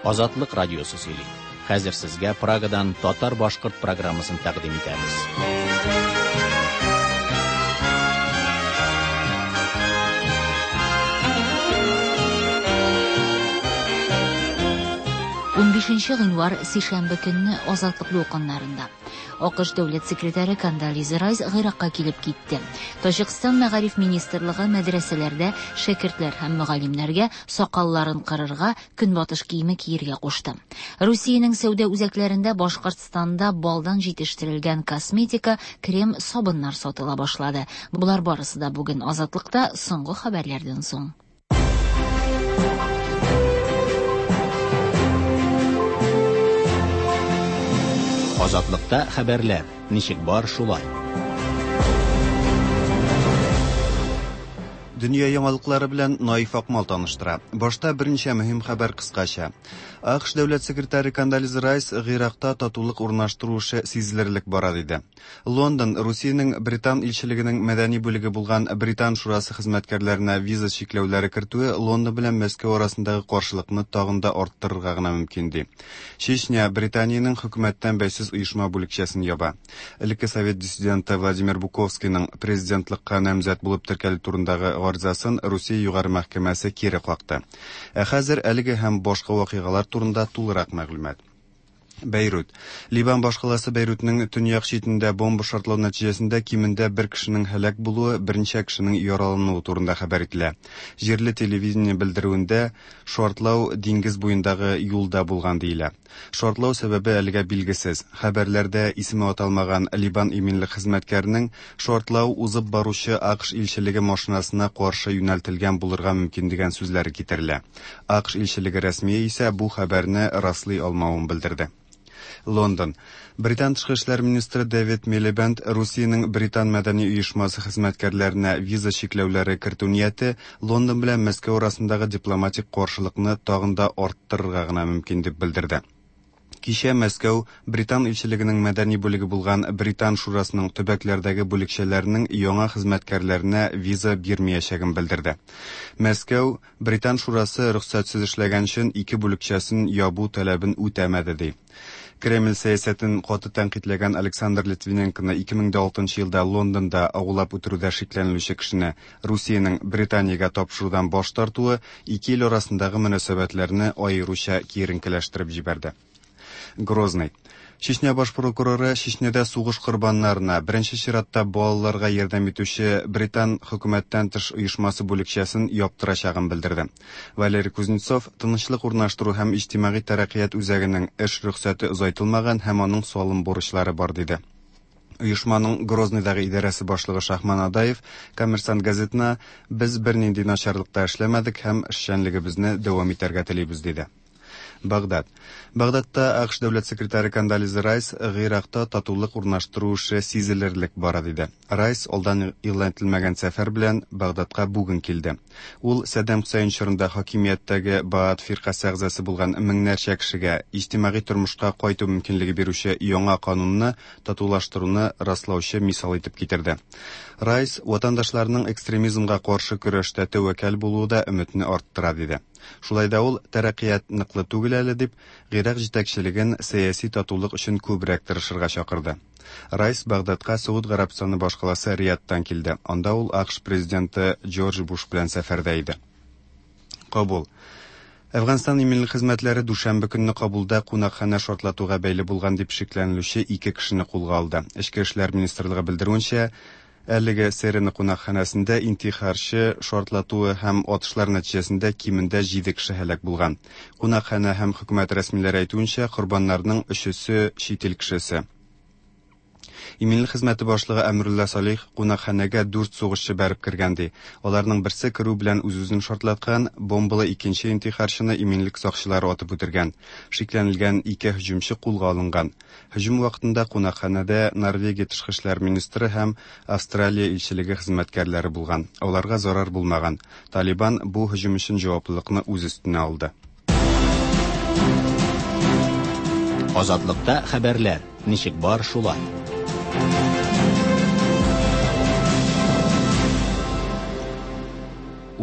Азатлык радиосы сөйли. Хәзер сезгә Прагадан татар-башкорт программасын тәкъдим итәбез. Унбишенче гыйнвар, сишәмбе көнне Азатлык дулкыннарында. АКШ дәүләт секретаре Кондолиза Райс Гыйракка килеп китте. Таҗикстан мәгариф министрлыгы мәдрәсәләрдә шәкертләр һәм мөгаллимнәргә сакалларын кырырга, көнбатыш киеме киергә кушты. Русиянең сәүдә үзәкләрендә Башкортстанда балдан җитештерелгән косметика, крем, сабыннар сатыла башлады. Болар барысы да бүген Азатлыкта соңгы хәбәрләрдән соң. Азатлыкта хәбәрләр ничек бар шулай. Дөнья яңалыклары белән Наиф Акмал таныштыра. Башта берничә мөһим хәбәр кыскача. АКШ дәүләт секретаре Кондолиза Райс Гыйракта татулык урнаштыру эше сизелерлек бара диде. Лондон Русиянең Британ илчелегенең мәдәни бүлеге булган Британ шурасы хезмәткәрләренә виза чикләүләре кертүе Лондон белән Мәскәү арасындагы каршылыкны тагын да арттырырга гына мөмкин ди. Чечня Британиянең хөкүмәттән бәйсез оешма бүлекчәсен яба. Элекке совет диссиденты Владимир Буковскийның президентлыкка намзәт булып теркәлү турындагы гаризасын Русия югары мәхкәмәсе кире какты. Ә хәзер әлеге һәм башка вакыйгалар турында тулырак мәгълүмат. Бәйрут. Ливан башкаласы Бәйрутның төньяк читендә бомба шартлау нәтиҗәсендә кимендә бер кешенең һәлак булуы, берничә кешенең яралануы турында хәбәр ителә. Җирле телевидение белдерүендә шартлау диңгез буендагы юлда булган диелә. Шартлау сәбәбе әлегә билгесез. Хәбәрләрдә исеме аталмаган Ливан иминлек хезмәткәренең шартлау узып баручы АКШ илчелеге машинасына каршы юнәлтелгән булырга мөмкин дигән сүзләре китерелә. АКШ илчелеге рәсмие исә бу хәбәрне раслый алмавын белдерде. Лондон. Британ тышкы эшләр министры Дэвид Милибенд Русиянең Британ мәдәни оешмасы хезмәткәрләренә виза чикләүләре кертү нияте Лондон белән Мәскәү арасындагы дипломатик каршылыкны тагын да арттырырга гына мөмкин дип белдерде. Кичә Мәскәү Британ илчелегенең мәдәни бүлеге булган Британ шурасының төбәкләрдәге бүлекчәләренең яңа хезмәткәрләренә виза бирмәячәген белдерде. Мәскәү Британ шурасы рөхсәтсез эшләгән өчен ике бүлекчәсен ябу таләбен үтәмәде ди. Кремль сәясәтен каты тәнкыйтьләгән Александр Литвиненконы 2006 елда Лондонда агулап үтерүдә шикләнелүче кешене Русиянең Британиягә тапшырудан баш тартуы ике ил арасындагы мөнәсәбәтләрне аеруча киеренкеләштереп җибәрде. Грозный. Чечня баш прокуроры Чечняда сугыш корбаннарына, беренче чиратта балаларга ярдәм итүче Британ хөкүмәттән тыш оешмасы бүлекчәсен яптырачагын белдерде. Валерий Кузнецов тынычлык урнаштыру һәм иҗтимагый тәрәккыят үзәгенең эш рөхсәте озайтылмаган һәм аның салым бурычлары бар диде. Оешманың Грозныйдагы идарәсе башлыгы Шахман Адаев Коммерсант газетына без бернинди начарлыкта эшләмәдек һәм эшчәнлегебезне дәвам итәргә телибез диде. Багдад. Багдадта АКШ дәүләт секретаре Кондолиза Райс Гыйракта татулык урнаштыру эше сизелерлек бара диде. Райс алдан игълан ителмәгән сәфәр белән Багдадка бүген килде. Ул Саддам Хөсәен чорында хакимияттәге Баат фиркасе әгъзасы булган меңнәрчә кешегә иҗтимагый тормышка кайту мөмкинлеге бирүче яңа канунны татулаштыруны раслаучы мисал итеп китерде. Райс ватандашларының экстремизмга каршы көрәштә тәвәккәл булуы да өметне арттыра диде. Шулай да ул тәрәккыят ныклы түгел әле дип, Гыйрак җитәкчелеген сәяси татулык өчен күбрәк тырышырга чакырды. Райс Багдадка Сауд Гарәбстаны башкаласы Риядтан килде. Анда ул АКШ президенты Джордж Буш белән сәфәрдә иде. Кабул. Әфганстан иминлек хезмәтләре дүшәмбе көнне Кабулда кунакханә шартлатуга бәйле булган дип шикләнелүче ике кешене кулга алды. Эчке эшләр министрлыгы белдерүенчә, әлеге Серена кунакханәсендә интихарчы шартлатуы һәм атышлар нәтиҗәсендә кимендә 7 кеше һәлак булган. Кунакханә һәм хөкүмәт рәсмиләре әйтүенчә, корбаннарның өчесе чит ил кешесе. Иминлек хезмәте башлыгы Әмрулла Салих кунакханәгә 4 сугышчы бәреп кергән ди. Аларның берсе керү белән үз-үзен шартлаткан, бомбалы икенче интихарчыны иминлек сакчылары атып үтергән. Шикләнелгән ике һөҗүмче кулга алынган. Һөҗүм вакытында кунакханәдә Норвегия тышкы эшләр министры һәм Австралия илчелеге хезмәткәрләре булган. Аларга зарар булмаган. Талибан бу һөҗүм өчен җаваплылыкны үз өстенә алды. Азатлыкта хәбәрләр ничек бар шулай.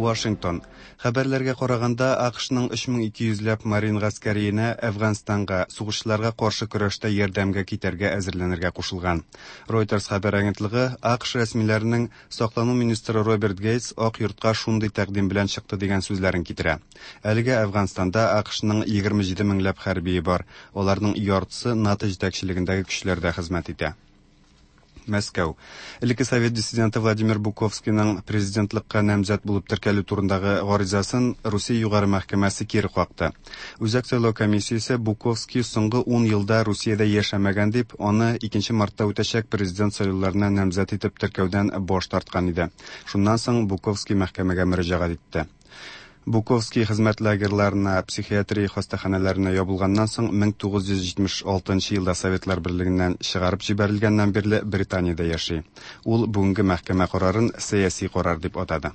Вашингтон. Хәбәрләргә караганда, АКШның 3200 ләп марин гаскәриенә Әфганстанга сугышчыларга каршы көрәштә ярдәмгә китәргә әзерләнергә кушылган. Reuters хәбәр агентлыгы АКШ рәсмиләренең саклану министры Роберт Гейтс Ак йортка шундый тәкъдим белән чыкты дигән сүзләрен китерә. Әлегә Әфганстанда АКШның 27 меңләп хәрбие бар. Аларның яртысы НАТО җитәкчелегендәге көчләрдә хезмәт итә. Мәскәү. Элекке совет диссиденты Владимир Буковскийның президентлыкка намзәт булып теркәлү турындагы гаризасын Русия югары мәхкәмәсе кире какты. Үзәк сайлау комиссиясе Буковский соңгы 10 елда Русиядә яшәмәгән дип, аны 2 мартта үтәчәк президент сайлауларына намзәт итеп теркәүдән баш тарткан иде. Шуннан соң Буковский мәхкәмәгә мөрәҗәгать итте. Буковский хезмәт лагерьларына, психиатрия хастаханәләренә ябылганнан соң 1976 елда Советлар Берлегеннән чыгарып җибәрелгәннән бирле Британиядә яши. Ул бүгенге мәхкәмә карарын сәяси карар дип атады.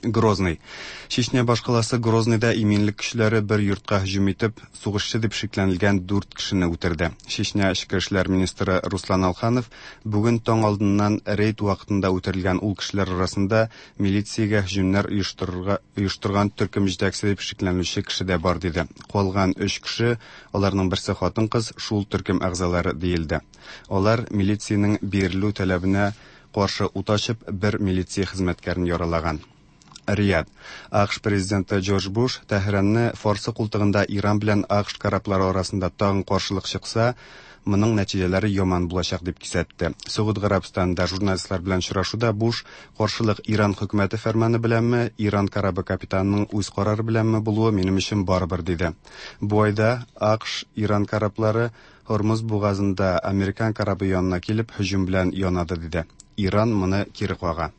Грозный. Чечня башкаласы Грозныйда иминлек көчләре бер йортка һөҗүм итеп, сугышчы дип шикләнелгән 4 кешене үтерде. Чечня эчке эшләр министры Руслан Алханов бүген таң алдыннан рейд вакытында үтерелгән ул кешеләр арасында милициягә һөҗүмнәр оештырырга оештырган төркем җитәкчесе дип шикләнелүче кеше дә бар диде. Калган 3 кеше, аларның берсе хатын-кыз, шул төркем әгъзалары диелде. Алар милициянең бирелү таләбенә каршы ут ачып, бер милиция хезмәткәрен яралаган. Рияд. АКШ президенты Джордж Буш Тәһранны Фарсы култыгында Иран белән АКШ кораблары арасында тагын каршылык чыкса, моның нәтиҗәләре яман булачак дип кисәтте. Согуд Гарәбстанында журналистлар белән очрашуда Буш каршылык Иран хөкүмәте фәрманы беләнме, Иран корабы капитанының үз карары беләнме булуы минем өчен барыбер диде. Бу айда АКШ Иран кораблары Һормуз бугазында американ корабы янына килеп һөҗүм белән янады диде. Иран моны кире кага.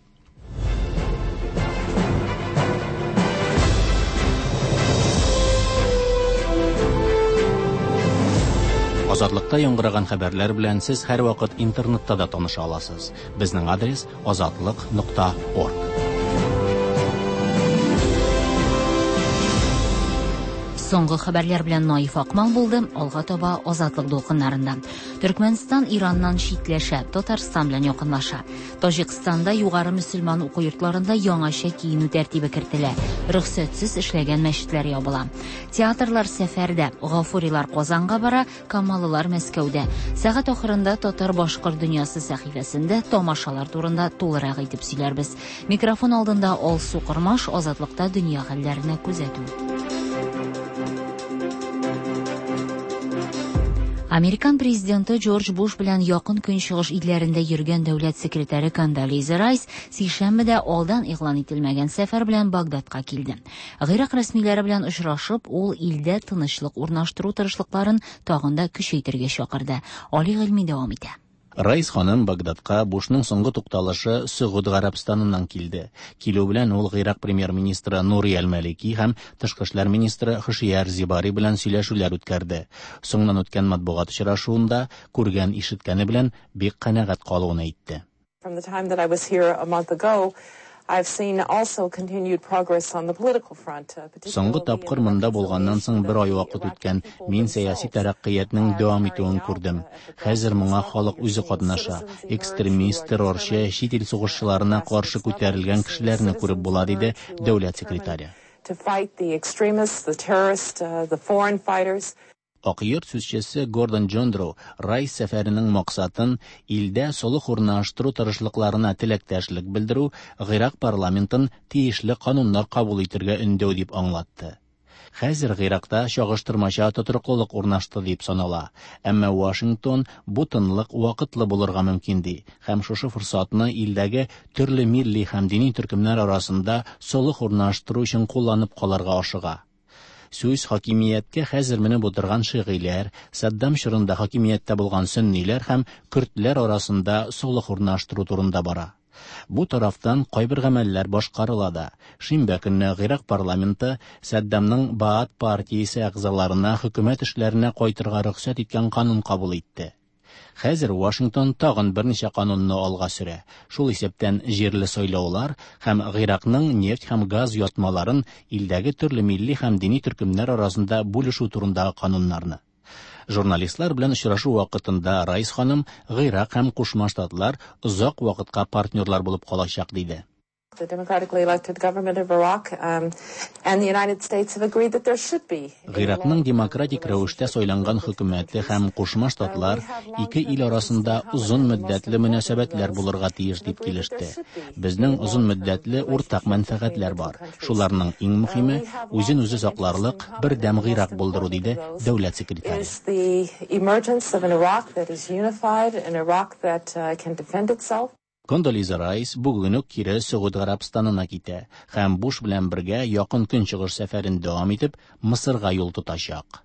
Азатлыкта яңгыраган хәбәрләр белән сез һәрвакыт интернетта да таныша аласыз. Безнең адрес azatliq.org. Соңгы хәбәрләр белән Наиф Акмал булды. Алга таба Азатлык дулкыннарында. Төркмәнстан Ираннан читләшә, Татарстан белән якынлаша. Таҗикстанда югары мөселман уку йортларында яңача киенү тәртибе кертелә. Рөхсәтсез эшләгән мәчетләр ябыла. Театрлар сәфәрдә, Гафурилар Казанга бара, Камалылар Мәскәүдә. Сәгать ахырында Татар-башкорт дөньясы сәхифәсендә тамашалар турында тулырак итеп сөйләрбез. Микрофон алдында Алсу Кормаш, Азатлыкта дөнья хәлләренә күзәтү. Американ президенты Джордж Буш белән якын көнчыгыш илләрендә йөргән дәүләт секретаре Кондолиза Райс сишәмбедә алдан игълан ителмәгән сәфәр белән Багдадка килде. Гыйрак рәсмиләре белән очрашып, ул илдә тынычлык урнаштыру тырышлыкларын тагын да көчәйтергә чакырды. Али Гыйльми дәвам итә. Райс ханым Багдадка Бушның соңгы тукталышы Сөгуд Гарәбстаныннан килде. Килү белән ул Гыйрак премьер-министры Нури әл-Малики һәм тышкы эшләр министры Хошияр Зибари белән сөйләшүләр үткәрде. Соңыннан үткән матбугат очрашуында күргән ишеткәне белән бик канәгать калуын әйтте. From the time that I was here a month ago, I've seen also continued progress on the political front. Соңгы тапкыр монда булганнан соң бер ай вакыт үткән. Мин сәяси тәрәккыятның дәвам итүен күрдем. Хәзер моңа халык үзе катнаша. Экстремист, террорчы, чит ил сугышчыларына каршы күтәрелгән кешеләрне күреп була, диде дәүләт секретаре. To fight the extremists, the terrorists, the foreign fighters. Ак йорт сүзчесе Гордон Джондро Райс сәфәренең максатын илдә солых урнаштыру тырышлыкларына теләктәшлек белдерү, Гыйрак парламентын тиешле кануннар кабул итергә өндәү дип аңлатты. Хәзер Гыйракта чагыштырмача тотрыклылык урнашты дип санала. Әмма Вашингтон бу тынлык вакытлы булырга мөмкин ди һәм шушы форсатны илдәге төрле милли һәм дини төркемнәр арасында солых урнаштыру өчен кулланып калырга ашыга. Сүз хакимияткә хәзер менеп утырган шигыйләр, Саддам чорында хакимияттә булган сөнниләр һәм көрдләр арасында солых урнаштыру турында бара. Бу тарафтан кайбер гамәлләр башкарыла да. Шимбә көнне Гыйрак парламенты Саддамның Баат партиясе әгъзаларына хөкүмәт эшләренә кайтырга рөхсәт иткән канун кабул итте. Хәзер Вашингтон тагын берничә канунны алга сөрә. Шул исәптән җирле сайлаулар һәм Гыйракның нефть һәм газ ятмаларын илдәге төрле милли һәм дини төркемнәр арасында бүлешү турындагы кануннарны. Журналистлар белән очрашу вакытында Райс ханым Гыйрак һәм Кушма Штатлар озак вакытка партнерлар булып калачак диде. The democratically elected government of Iraq and the United States have agreed that there should be. Гыйракның демократик рәвештә сайланган хөкүмәте һәм Кушма Штатлар ике ил арасында озын мөддәтле мөнәсәбәтләр булырга тиеш дип килеште. Безнең озын мөддәтле уртак мәнфәгатьләр бар. Шуларның иң мөһиме үзен-үзе сакларлык бердәм Гыйрак булдыру, диде дәүләт секретаре. Is the emergence of an Iraq that is unified, an Iraq that can defend itself. Кондолиза Райс бүген үк кире Сөгуд Гарәбстанына китә һәм Буш белән бергә Якын Көнчыгыш сәфәрен дәвам итеп, Мысырга юл тотачак.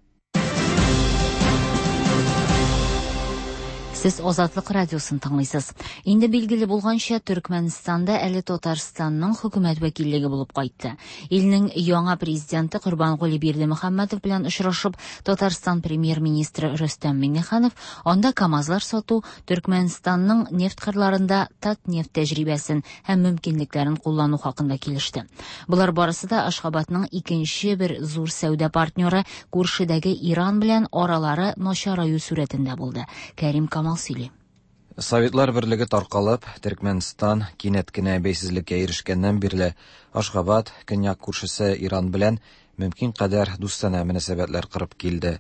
Сез Азатлык радиосын тыңлыйсыз. Инде билгеле булганча, Төркмәнстанда әле Татарстанның хөкүмәт вәкиллеге булып кайтты. Илнең яңа президенты Корбангули Бердымөхәммәтов белән очрашып, Татарстан премьер-министры Рөстәм Миңнеханов анда КАМАЗлар сату, Төркмәнстанның нефть кырларында Татнефть тәҗрибәсен һәм мөмкинлекләрен куллану хакында килеште. Болар барысы да Ашхабадның икенче бер зур сәүдә партнеры күршедәге Иран белән аралары начараю сурәтендә булды. Кәрим Камал сөйли. Советлар берлеге таркалып, Төркмәнстан кинәт кенә бәйсезлеккә ирешкәннән бирле Ашхабад көньяк күршесе Иран белән мөмкин кадәр дустанә мөнәсәбәтләр корып килде.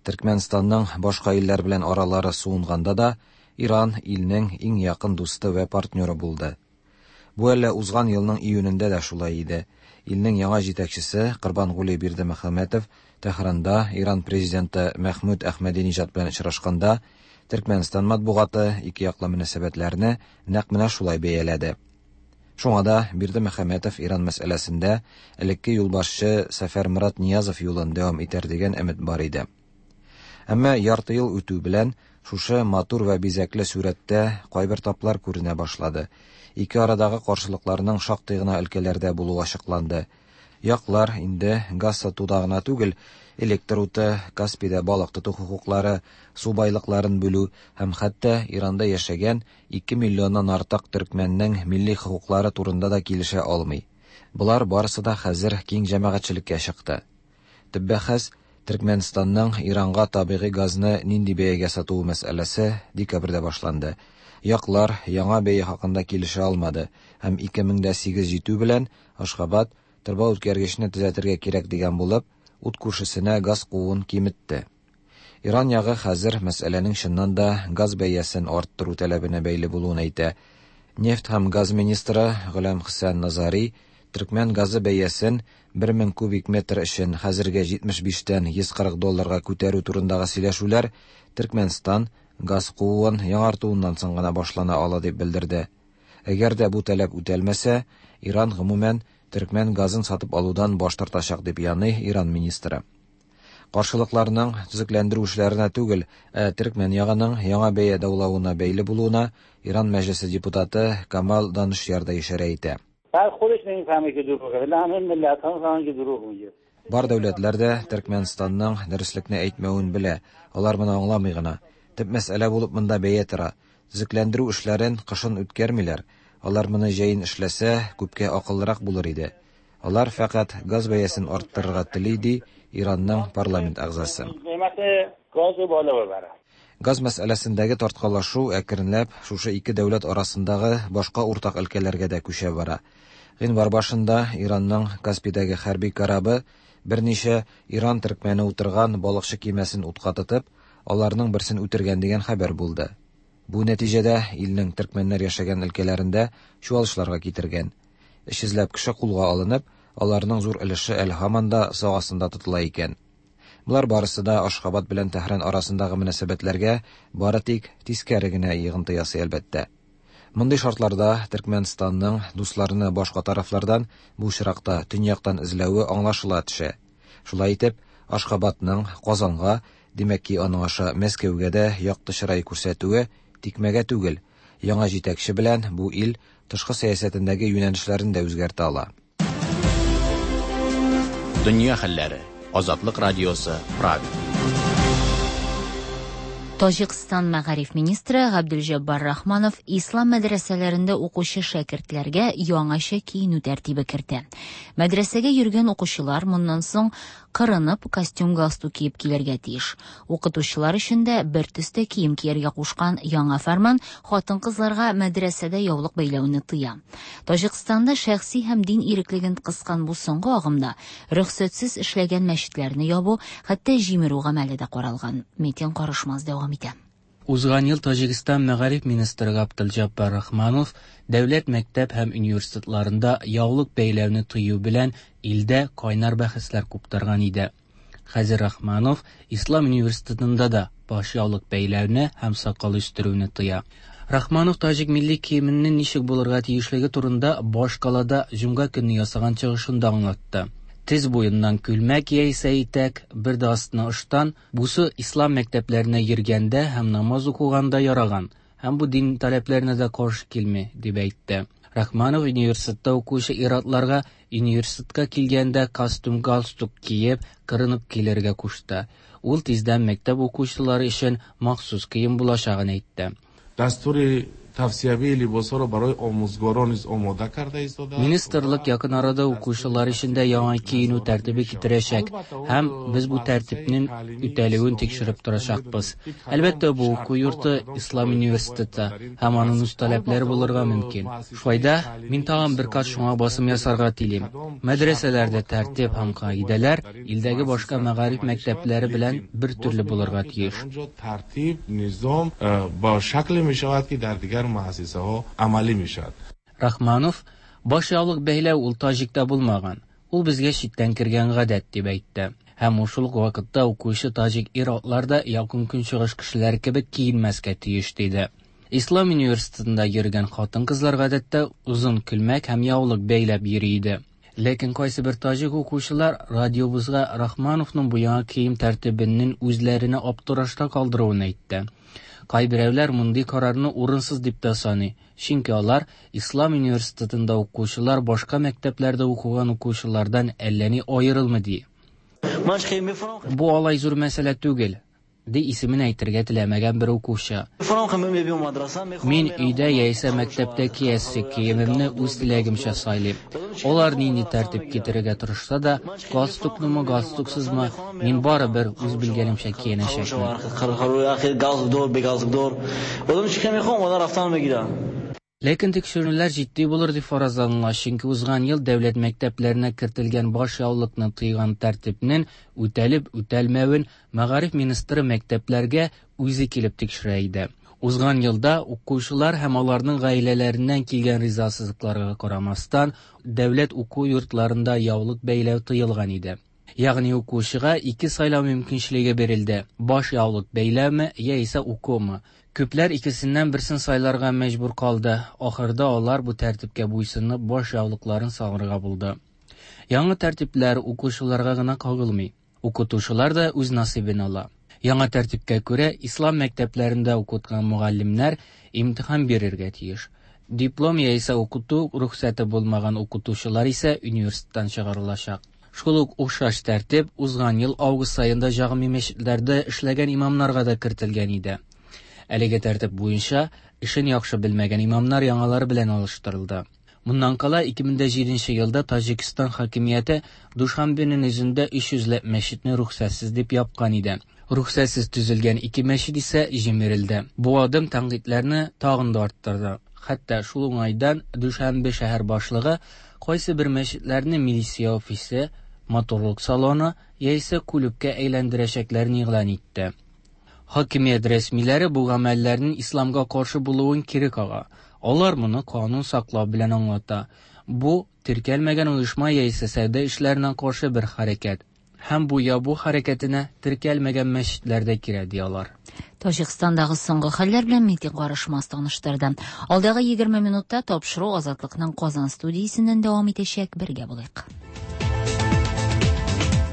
Төркмәнстанның башка илләр белән аралары суынганда да Иран илнең иң якын дусты вә партнеры булды. Бу әле узган елның июнендә дә шулай иде. Илнең яңа җитәкчесе Корбангули Бердымөхәммәтов Тәһранда Иран президенты Мәхмүд Әхмәдиниҗад белән очрашканда Төркмәнстан матбугаты ике яклы мөнәсәбәтләрне нәкъ менә шулай бәяләде. Шуңа да Бердымөхәммәтов Иран мәсьәләсендә элекке юлбашчы Сәфәрмурат Ниязов юлын дәвам итәр дигән өмет бар иде. Әмма ярты ел үтү белән шушы матур вә бизәкле сурәттә кайбер таплар күренә башлады. Ике арадагы каршылыкларның шактый гына өлкәләрдә булуы ачыкланды. Яклар инде газ сатуда гына түгел, электр уты, Каспийда балык тоту хокуклары, су байлыкларын бүлү һәм хәтта Иранда яшәгән 2 миллионнан артык төркмәннең милли хокуклары турында да килешә алмый. Болар барысы да хәзер киң җәмәгатьчелеккә чыкты. Төп бәхәс Төркмәнстанның Иранга табигый газны нинди бәягә сатуы мәсьәләсе декабрьдә башланды. Яклар яңа бәя хакында килешә алмады һәм 2008 җитү белән Ашхабад торба үткәргечне төзәтергә кирәк дигән булып, ут күршесенә газ кууын киметте. Иран ягы хәзер мәсьәләнең чыннан да газ бәясен арттыру таләбенә бәйле булуын әйтә. Нефть һәм газ министры Гөләм Хөсән Назари төркмән газы бәясен 1000 кубик метр өчен хәзергә 75-тән 140 долларга күтәрү турындагы сөйләшүләр Төркмәнстан газ кууын яңартуыннан соң гына башлана ала дип белдерде. Әгәр дә бу таләп үтәлмәсә, Иран гомумән төркмән газын сатып алудан баш тартачак дип яный Иран министры. Каршылыкларның төзекләндерү эшләренә түгел, ә төркмән ягының яңа бәя даулавына бәйле булуына Иран мәҗлесе депутаты Камал Данышяр да ишарә итә. Бар дәүләтләр дә Төркмәнстанның дөреслекне әйтмәвен белә, алар моны аңламый гына. Төп мәсьәлә булып монда бәя тора. Төзекләндерү эшләрен кышын үткәрмиләр. Алар моны җәен эшләсә, күпкә акыллырак булыр иде. Алар фәкать газ бәясен арттырырга тели, ди Иранның парламент әгъзасы. Газ мәсьәләсендәге тарткалашу әкренләп шушы ике дәүләт арасындагы башка уртак өлкәләргә дә күчә бара. Гыйнвар башында Иранның Каспийдәге хәрби корабы берничә Иран төркмәне утырган балыкчы кимәсен утка тотып, аларның берсен үтергән дигән хәбәр булды. Бу нәтиҗәдә илнең төркмәннәр яшәгән өлкәләрендә чуалышларга китергән. 300ләп кеше кулга алынып, аларның зур өлеше әле һаман да сак астында тотыла икән. Болар барысы да Ашхабад белән Тәһран арасындагы мөнәсәбәтләргә бары тик тискәре генә йогынты ясый әлбәттә. Мондый шартларда Төркмәнстанның дусларны башка тарафлардан, бу очракта төньяктан эзләве аңлашыла төшә. Шулай итеп, Ашхабадның Казанга, димәк ки, аның аша Мәскәүгә дә якты чырай күрсәтүе тикмәгә түгел. Яңа җитәкче белән бу ил тышкы сәясәтендәге юнәлешләрен дә үзгәртә ала. Дөнья хәлләре. Азатлык радиосы, Прага. Таҗикстан мәгариф министры Габделҗаббар Рахманов ислам мәдрәсәләрендә укучы шәкертләргә яңача киенү тәртибе кертә. Мәдрәсәгә йөргән укучылар моннан соң кырынып костюм-галстук киеп килергә тиеш. Укытучылар өчен дә бер төстә кием кияргә кушкан яңа фәрман хатын-кызларга мәдрәсәдә яулык бәйләүне тыя. Таҗикстанда шәхси һәм дин иреклеген кыскан бу соңгы агымда рөхсәтсез эшләгән мәчетләрне ябу, хәтта җимерү гамәле дә каралган. Метин Карышмаз дәвам итә. Узган ел Таҗикстан мәгариф министры Габделҗаббар Рахманов дәүләт мәктәп һәм университетларында яулык бәйләүне тыю белән илдә кайнар бәхәсләр куптарган иде. Хәзер Рахманов Ислам университетында да баш яулык бәйләүне һәм сакал үстерүне тыя. Рахманов таҗик милли киеменең ничек булырга тиешлеге турында башкалада җомга көнне ясаган чыгышында аңлатты. Тез буеннан күлмәк яисә итәк, бер дә астына ыштан, бусы ислам мәктәпләренә йөргәндә һәм намаз укыганда яраган һәм бу дин таләпләренә дә каршы килми, дип әйтте. Рахманов университетта укучы ир-атларга университетка килгәндә костюм-галстук киеп, кырынып килергә кушты. Ул тиздән мәктәп укучылары өчен махсус кием булачагын әйтте. Дастури тавсиявии либосҳоро барои омӯзгорон низ омода карда истодааст. Министрлык якын арада укучылар өчен дә яңа киенү тәртибе китерәчәк һәм без бу тәртипнең үтәлүен тикшереп торачакбыз. Әлбәттә, бу уку йорты Ислам университеты һәм аның үз таләпләре булырга мөмкин. Шулай да мин тагын бер кат шуңа басым ясарга телим. Мәдрәсәләрдә тәртип һәм кагыйдәләр илдәге башка мәгариф мәктәпләре белән бер төрле булырга тиеш. Тартиб, низом ба шакле мешавад ки дар дигар муассисаҳо амалӣ мешавад. Рахманов, баш яулык бәйләү ул таҗикта булмаган, ул безгә читтән кергән гадәт, дип әйтте. Һәм ул шул ук вакытта укучы таҗик ир-атлар да Якын Көнчыгыш кешеләре кебек киенмәскә тиеш, диде. Ислам университетында йөргән хатын-кызлар гадәттә озын күлмәк һәм яулык бәйләп йөри иде. Ләкин кайсыбер таҗик укучылар радиобызга Рахмановның бу яңа кием тәртибенең үзләренә аптырашта калдыруын әйтте. Кайберәүләр мондый карарны урынсыз дип тә саный, чөнки алар Ислам университетында укучылар башка мәктәпләрдә укыган укучылардан әллә ни аерылмый ди. Бу алай зур мәсьәлә түгел, ди исемен әйтергә теләмәгән бер укучы. Мин өйдә яисә мәктәптә киясе киемемне үз теләгемчә сайлыйм. Алар нинди тәртип китерергә тырышса да, галстуклымы, галстуксызмы, мин барыбер үз белгәнемчә киенәчәкмен. Ләкин тикшеренүләр җитди булыр дип фаразланыла, чөнки узган ел дәүләт мәктәпләренә кертелгән баш яулыкны тыйган тәртипнең үтәлеп-үтәлмәвен мәгариф министры мәктәпләргә үзе килеп тикшерә иде. Узган елда укучылар һәм аларның гаиләләреннән килгән ризасызлыкларга карамастан, дәүләт уку йортларында яулык бәйләү тыелган иде. Ягъни укучыга ике сайлау мөмкинчелеге бирелде: баш яулык бәйләүме яисә укумы. Күпләр икесеннән берсен сайларга мәҗбүр калды. Ахырда алар бу тәртипкә буйсынып, баш яулыкларын салырга булды. Яңа тәртипләр укучыларга гына кагылмый. Укытучылар да үз насыйбын ала. Яңа тәртипкә күрә, ислам мәктәпләрендә укыткан мөгаллимнәр имтихан бирергә тиеш. Диплом яисә укыту рөхсәте булмаган укытучылар исә университеттан чыгарылачак. Шул ук охшаш тәртип узган ел август аенда җәгъми мәчетләрдә эшләгән имамнарга да кертелгән иде. Әлеге тәртип буенча эшен яхшы белмәгән имамнар яңалары белән алыштырылды. Моннан кала 2007 елда Таҗикстан хакимияте Душанбеның үзендә 300 ләп мәчетне рөхсәтсез дип япкан иде. Рөхсәтсез төзелгән ике мәчет исә җимерелде. Бу адым тәнкыйтьләрне тагын да арттырды. Хәтта шул уңайдан Душанбе шәһәр башлыгы кайсы бер мәчетләрне милиция офисы, матурлык салоны яисә клубка әйләндерәчәкләрен игълан итте. Хакимият рәсмиләре бу гамәлләрнең исламга каршы булуын кире кага. Алар моны канун саклау белән аңлата. Бу теркәлмәгән оешма яисә сәүдә эшләренә каршы бер хәрәкәт. Һәм бу ябу хәрәкәтенә теркәлмәгән мәчетләр дә керә, ди алар. Таҗикстандагы соңгы хәлләр белән Митин Карышмаз таныштырды. Алдагы 20 минутта тапшыру Азатлыкның Казан студиясеннән дәвам итәчәк. Бергә булыйк.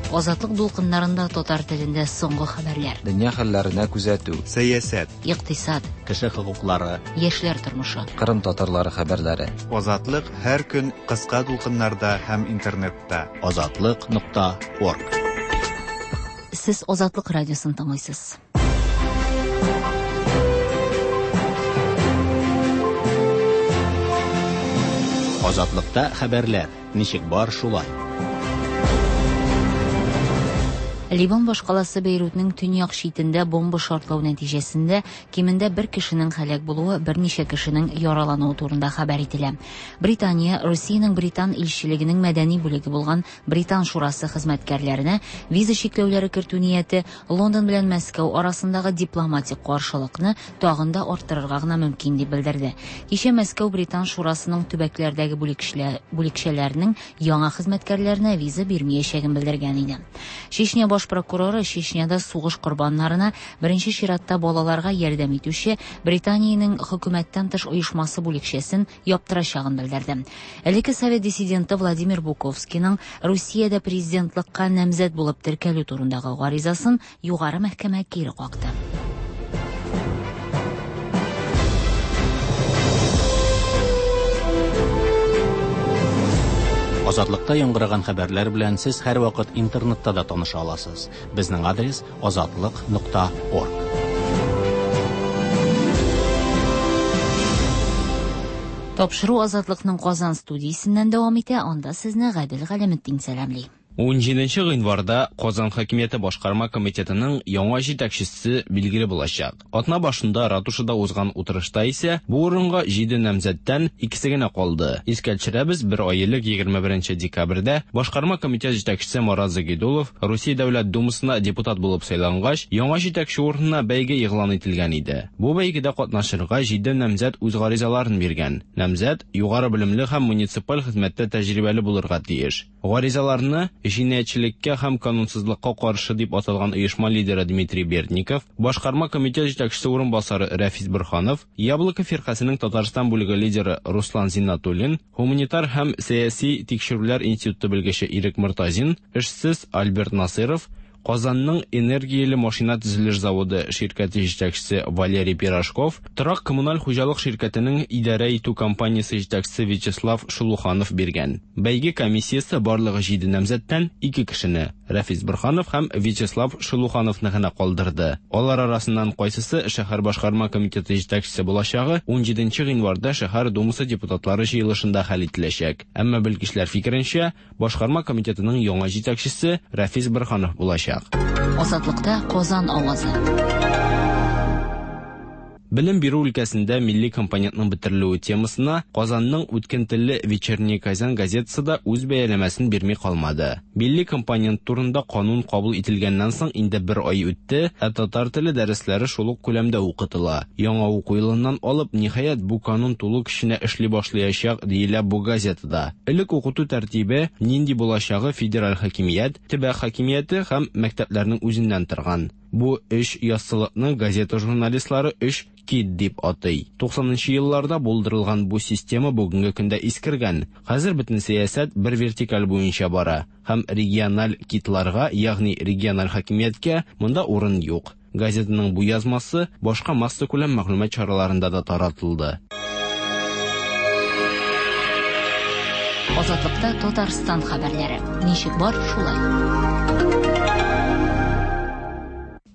Азатлык дулкыннарында татар телендә соңгы хәбәрләр. Дөнья хәлләренә күзәтү. Сәясәт. Икътисад. Кеше хокуклары. Яшьләр тормышы. Кырым татарлары хәбәрләре. Азатлык һәр көн кыска дулкыннарда һәм интернетта. Азатлык.орг. Сез Азатлык радиосын тыңлыйсыз. Азатлыкта хәбәрләр ничек бар шулай. Ливан башкаласы Бейрутның төньяк читендә бомба шартлау нәтиҗәсендә кимендә бер кешенең һәлак булуы, берничә кешенең яралануы турында хәбәр ителә. Британия Русиянең британ илчелегенең мәдәни бүлеге булган Британ шурасы хезмәткәрләренә виза чикләүләре кертү нияте Лондон белән Мәскәү арасындагы дипломатик каршылыкны тагын да арттырырга гына мөмкин дип белдерде. Кичә Мәскәү Британ шурасының төбәкләрдәге бүлекчәләренең яңа хезмәткәрләренә виза бирмәячәген белдергән иде. Чечня баш прокуроры Чечняда сугыш корбаннарына, беренче чиратта балаларга ярдәм итүче Британиянең хөкүмәттән тыш оешмасы бүлекчәсен яптырачагын белдерде. Элекке совет диссиденты Владимир Буковскийның Русиядә президентлыкка намзәт булып теркәлү турындагы гаризасын югары мәхкәмә кире какты. Азатлыкта яңгыраган хәбәрләр белән сез һәрвакыт интернетта да таныша аласыз. Безнең адрес azatliq.org. Тапшыру Азатлыкның Казан студиясеннән дәвам итә, анда сезне Гадел Галәметдин сәламли. 17 гыйнварда Казан хакимияте башкарма комитетының яңа җитәкчесе билгеле булачак. Атна башында ратушада узган утырышта исә бу урынга 7 намзәттән икесе генә калды. Искә төшерәбез, бер ай элек 21 декабрьдә башкарма комитет җитәкчесе Марат Загидулов Русия Дәүләт Думасына депутат булып сайлангач, яңа җитәкче урынына бәйге игълан ителгән иде. Бу бәйгедә катнашырга 7 намзәт үз гаризаларын биргән. Намзәт югары белемле һәм муниципаль хезмәттә тәҗрибәле булырга тиеш. Гаризаларны җинаятьчелеккә һәм канунсызлыкка каршы дип аталган оешма лидеры Дмитрий Бердников, башкарма комитет җитәкчесе урынбасары Рәфис Борһанов, Яблоко фиркасының Татарстан бүлеге лидеры Руслан Зиннатуллин, гуманитар һәм сәяси тикшерүләр институты белгече Ирек Мортазин, эшсез Альберт Насыров, Казанның энергияле машина төзелеш заводы ширкәте җитәкчесе Валерий Пирожков, торак коммуналь хуҗалык ширкәтенең идарә итү компаниясе җитәкчесе Вячеслав Шулуханов биргән. Бәйге комиссиясе барлыгы 7 намзәттән 2 кешене Рәфис Борһанов һәм Вячеслав Шулухановны гына калдырды. Алар арасыннан кайсысы шәһәр башкарма комитеты җитәкчесе булачагы 17 гыйнварда шәһәр думасы депутатлары җыелышында хәл ителәчәк. Әмма белгечләр фикеренчә, башкарма комитетының яңа җитәкчесе Рәфис Борһанов булачак. Азатлыкта Казан авазы. Белем бирү өлкәсендә милли компонентның бетерелүе темасына Казанның үткен телле Вечерний Казан газетасы да үз бәяләмәсен бирми калмады. Милли компонент турында канун кабул ителгәннән соң инде бер ай үтте, ә татар теле дәресләре шул ук күләмдә укытыла. Яңа уку елыннан алып, ниһаять, бу канун тулы көченә эшли башлаячак, диелә бу газетада. Элек укыту тәртибе нинди булачагы федераль хакимият, төбәк хакимияте һәм мәктәпләрнең үзеннән торган. Бу өч яссылыкны газета журналистлары өч кит дип атый. 90нчы елларда булдырылган бу система бүгенге көндә искергән. Хәзер бөтен сәясәт бер вертикаль буенча бара һәм региональ китларга, ягъни региональ хакимияткә монда урын юк. Газетаның бу язмасы башка массакүләм мәгълүмат чараларында да таратылды. Азатлыкта Татарстан хәбәрләре. Ничек бар, шулай.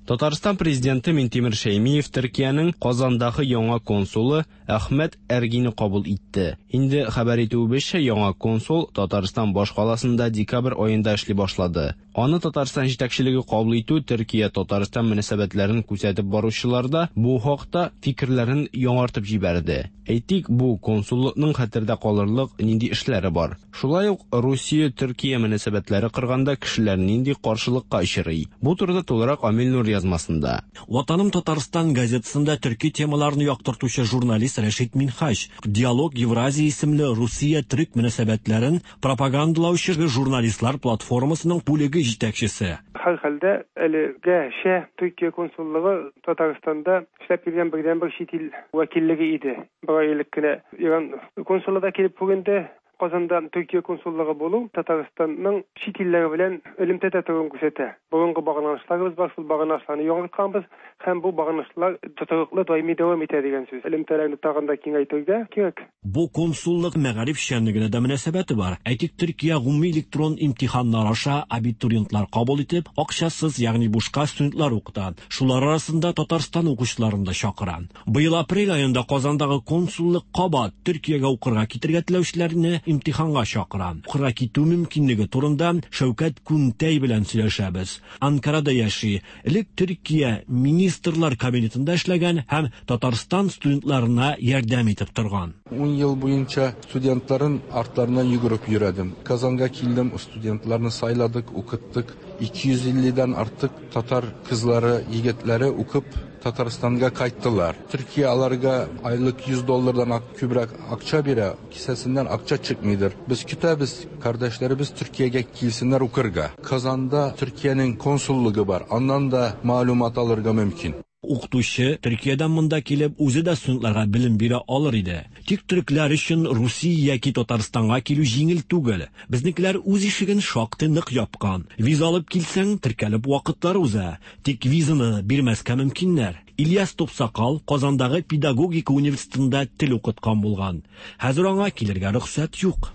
Татарстан президенты Минтимер Шәймиев Төркиянең Казандагы яңа консулы Әхмәт Эргинне кабул итте. Инде хәбәр итүебезчә, яңа консул Татарстан башкаласында декабрь аенда эшли башлады. Аны Татарстан җитәкчелеге кабул итү Төркия-Татарстан мөнәсәбәтләрен күзәтеп баручылар да бу хакта фикерләрен яңартып җибәрде. Әйтик, бу консуллыкның хәтердә калырлык нинди эшләре бар. Шулай ук Русия-Төркия мөнәсәбәтләре кырганда кешеләр нинди каршылыкка очрый. Бу турыда тулырак Амил Нур язмасында. Ватаным Татарстан газетасында төрки темаларны яктыртучы журналист Рәшит Минһаҗ Диалог Евразия исемле Русия-төрек мөнәсәбәтләрен пропагандалаучы журналистлар платформасының бүлеге җитәкчесе. Һәр хәлдә әлегәчә Төркия консуллыгы Татарстанда эшләп килгән бердәнбер чит ил вәкиллеге иде. Бер ай элек кенә Иран консулы да килеп күренде. Казанда Төркия консуллыгы булу Татарстанның чит илләр белән элемтәдә торуын күрсәтә. Борынгы багланышларыбыз бар, шул багланышларны яңартканбыз һәм бу багланышлар тотрыклы даими дәвам итә дигән сүз. Элемтәләрне тагын да киңәйтергә кирәк. Бу консуллык мәгариф эшчәнлегенә дә мөнәсәбәте бар. Әйтик, Төркия гомуми электрон имтиханнар аша абитуриентлар кабул итеп, акчасыз, ягъни бушка студентлар укыта. Шулар арасында Татарстан укучыларын да чакыра. Быел апрель аенда Казандагы консуллык кабат Төркиягә укырга китергә теләүчеләрне имтиханга чакыра. Укырга китү мөмкинлеге турында Шәүкәт Күнтәй белән сөйләшәбез. Анкарада яши, элек Төркия Министрлар кабинетында эшләгән һәм Татарстан студентларына ярдәм итеп торган. 10 ел буенча студентларын артларыннан йөгереп йөрәдем. Казанга килдем, студентларны сайладык, укыттык. 250 дән артык татар кызлары, егетләре укып Татарстанга кайттылар. Төркия аларга айлык 100 доллардан күбрәк акча бирә, кесәсеннән акча чыкмыйдыр. Без көтәбез, кардәшләребез Төркиягә килсеннәр укырга. Казанда Төркиянең консуллыгы бар, аннан да мәгълүмат алырга мөмкин. Укытучы Төркиядән монда килеп, үзе дә студентларга белем бирә алыр иде. Тик төрекләр өчен Русия яки Татарстанга килү җиңел түгел. Безнекеләр үз ишеген шактый нык япкан. Виза алып килсәң, теркәлеп вакытлар уза. Тик визаны бирмәскә мөмкиннәр. Ильяс Тупсакал Казандагы педагогика университетында тел укыткан булган. Хәзер аңа килергә рөхсәт юк.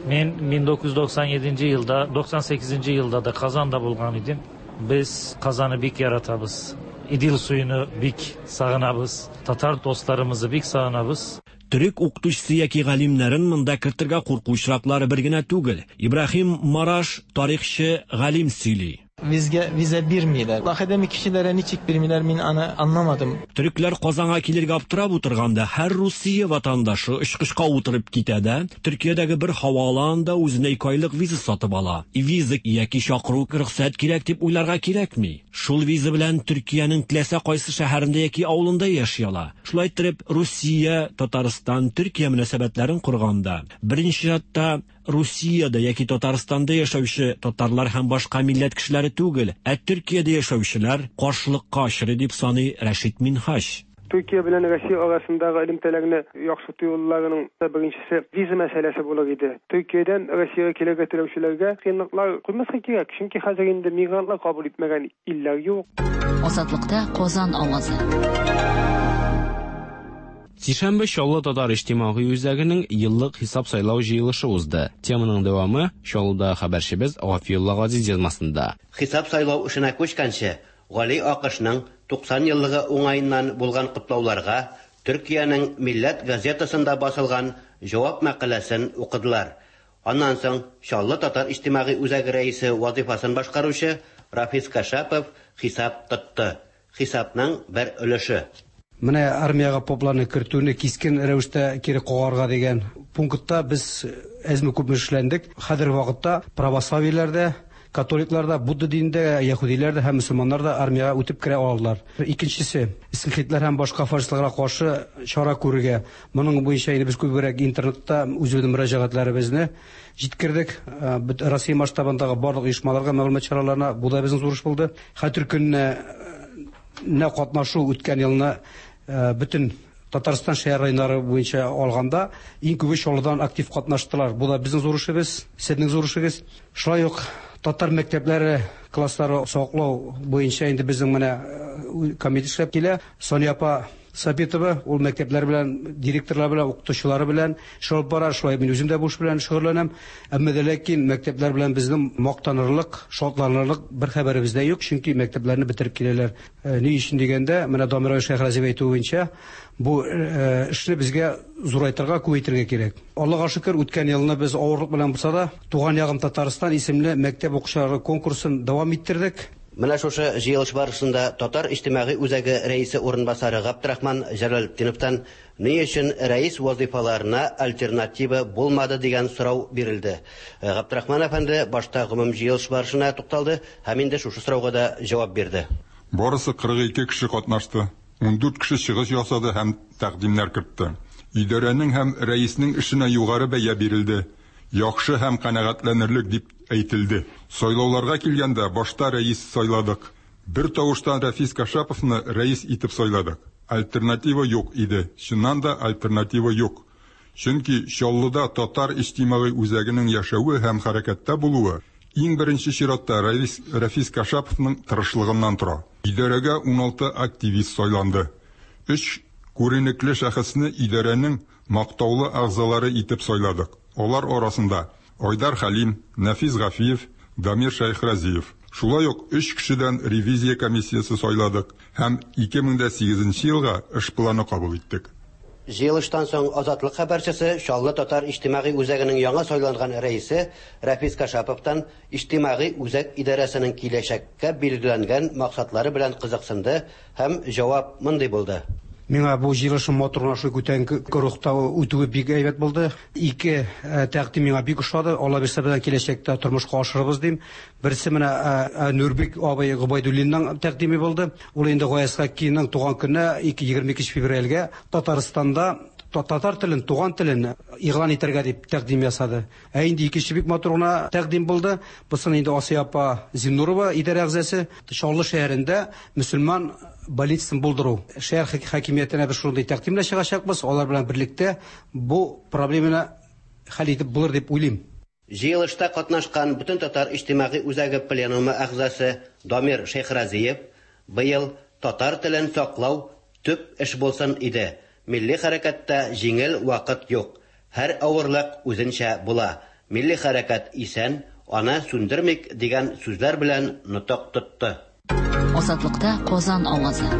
Мин 1997 елда, 98 елда да Казанда булган идем. Без Казанны бик яратабыз. Идел суюны бик сагынабыз. Татар дусларыбызны бик сагынабыз. Төрек укытучысы яки галимнәрен монда кертергә курку очраклары бер генә түгел. Ибраһим Мараш тарихчы галим сөйли. Визгә виза бирмиләр. Академик кешеләргә ничек бирмиләр, мин аны аңламадым. Төрекләр Казанга килергә аптырап утырганда, һәр Русия ватандашы очкычка утырып китә дә, Төркиядәге бер һава аланында үзенә 2 айлык виза сатып ала. Виза яки чакыру рөхсәт кирәк дип уйларга кирәкми. Шул виза белән Төркиянең теләсә кайсы шәһәрендә яки авылында яши ала. Шулай итеп, Русия, Татарстан, Төркия мөнәсәбәтләрен корганда, беренче чиратта Русиядә яки Татарстанда яшәүче татарлар һәм башка милләт кешеләре түгел, ә Төркиядә яшәүчеләр каршылыкка очрый дип саный Рәшит Минһаҗ. Төркия белән Россия арасындагы элемтәләрне яхшырту юлларының беренчесе виза мәсьәләсе булыр иде. Төркиядән Россиягә килергә теләүчеләргә кыенлыклар куймаска кирәк, чөнки хәзер инде мигрантлар кабул итмәгән илләр юк. Азатлыкта Казан авазы. Сишәмбе Чаллы татар иҗтимагый үзәгенең еллык хисап сайлау җыелышы узды. Теманың дәвамы Чаллыда хәбәрчебез Гафиулла Газиз язмасында. Хисап сайлау эшенә күчкәнче, Гали Акышның 90 еллыгы уңаеннан булган котлауларга Төркиянең Милләт газетасында басылган җавап мәкаләсен укыдылар. Аннан соң Чаллы татар иҗтимагый үзәге рәисе вазифасын башкаручы Рафис Кашапов хисап тотты. Хисапның бер өлеше. Менә армиягә попларны кертүне кискен рәвештә кире кагарга дигән пунктта без әзме-күпме эшләндек. Хәзерге вакытта православиеләрдә, католикларда, будда динендә, яһүдиләрдә һәм мөселманнар да армиягә үтеп керә алалар. Икенчесе, скинхедлар һәм башка фашистларга каршы чара күрергә. Моның буенча инде без күбрәк интернетта үзебезнең мөрәҗәгатьләребезне җиткердек. Россия масштабындагы барлык оешмаларга, мәгълүмат чараларына бу да безнең зур эш булды. Хәтер көненә катнашу үткән елны бөтен Татарстан шәһәр районнары буенча алганда иң күбе Чаллыдан актив катнаштылар. Бу да безнең зур эшебез, сезнең зур эшегез. Шулай ук татар мәктәпләре класслары саклау буенча инде безнең менә комитет эшләп килә. Соня апа Сабитова ул мәктәпләр белән, директорлар белән, укытучылары белән эш алып бара. Шулай мин үзем дә бу эш белән шөгыльләнәм. Әмма дә ләкин мәктәпләр белән безнең мактанырлык, шатланырлык бер хәбәребез дә юк, чөнки мәктәпләрне бетереп киләләр. Ни өчен дигәндә, менә Дамир Шәйхразиев әйтүе буенча, бу эшне безгә зурайтырга, күбәйтергә кирәк. Аллага шөкер, үткән елны без авырлык белән булса да, Туган ягым Татарстан исемле мәктәп укучылары конкурсын дәвам иттердек. Менә шушы җыелыш барышында Татар иҗтимагый үзәге рәисе урынбасары Габдрахман Җәләлетдиновтан ни өчен рәис вазифаларына альтернатива булмады дигән сорау бирелде. Габдрахман әфәнде башта гомум җыелыш барышына тукталды һәм инде шушы сорауга да җавап бирде. Барысы 42 кеше катнашты. 14 кеше чыгыш ясады һәм тәкъдимнәр кертте. Идарәнең һәм рәиснең эшенә югары бәя бирелде. Яхшы һәм канәгатьләнерлек дип әйтелде. Сайлауларга килгәндә башта рәис сайладык. Бер тавыштан Рафис Кашаповны рәис итеп сайладык. Альтернатива юк иде. Чыннан да альтернатива юк. Чөнки Чаллыда татар иҗтимагый үзәгенең яшәве һәм хәрәкәттә булуы иң беренче чиратта Рәис Рәфис Кашаповның тырышлыгыннан тора. Идарәгә 16 активист сайланды. Өч күренекле шәхесне идарәнең мактаулы әгъзалары итеп сайладык. Алар арасында Айдар Хәлим, Нәфис Гафиев, Дамир Шәйхразиев. Шулай ук өч кешедән ревизия комиссиясе сайладык һәм 2008 нче елга эш планы кабул иттек. Җыелыштан соң Азатлык хәбәрчесе Чаллы татар иҗтимагый үзәгенең яңа сайланган рәисе Рәфис Кашаповтан иҗтимагый үзәк идарәсенең киләчәккә билгеләнгән максатлары белән кызыксынды һәм җавап мондый булды. Миңа бу җыелышның матур гына шулай күтәренке рухта үтүе бик әйбәт булды. Ике тәкъдим миңа бик ошады. Алла бирсә, без киләчәктә тормышка ашырырбыз дим. Берсе менә Нурбек абый Гобәйдуллинның тәкъдиме булды. Ул инде Гаяз Хаккиның туган көненә 22 февральгә Татарстанда татар телен, туган телен игълан итәргә дип тәкъдим ясады. Ә инде икенче бик матур гына тәкъдим булды. Бусын инде Асия апа Зиннурова идарә әгъзасы Чаллы шәһәрендә мөселман больницасын булдыру. Шәһәр хакимиятенә без шундый тәкъдим белән чыгачакбыз. Алар белән берлектә бу проблеманы хәл итеп булыр дип уйлыйм. Җыелышта катнашкан Бөтентатар иҗтимагый үзәге пленумы әгъзасы Дамир Шәйхразиев, Быел татар телен саклау төп эш булсын иде. Милли хәрәкәттә җиңел вакыт юк. Һәр авырлык үзенчә була. Милли хәрәкәт исән, аны сүндермик, дигән сүзләр белән нотык тотты. Азатлыкта Казан авазы.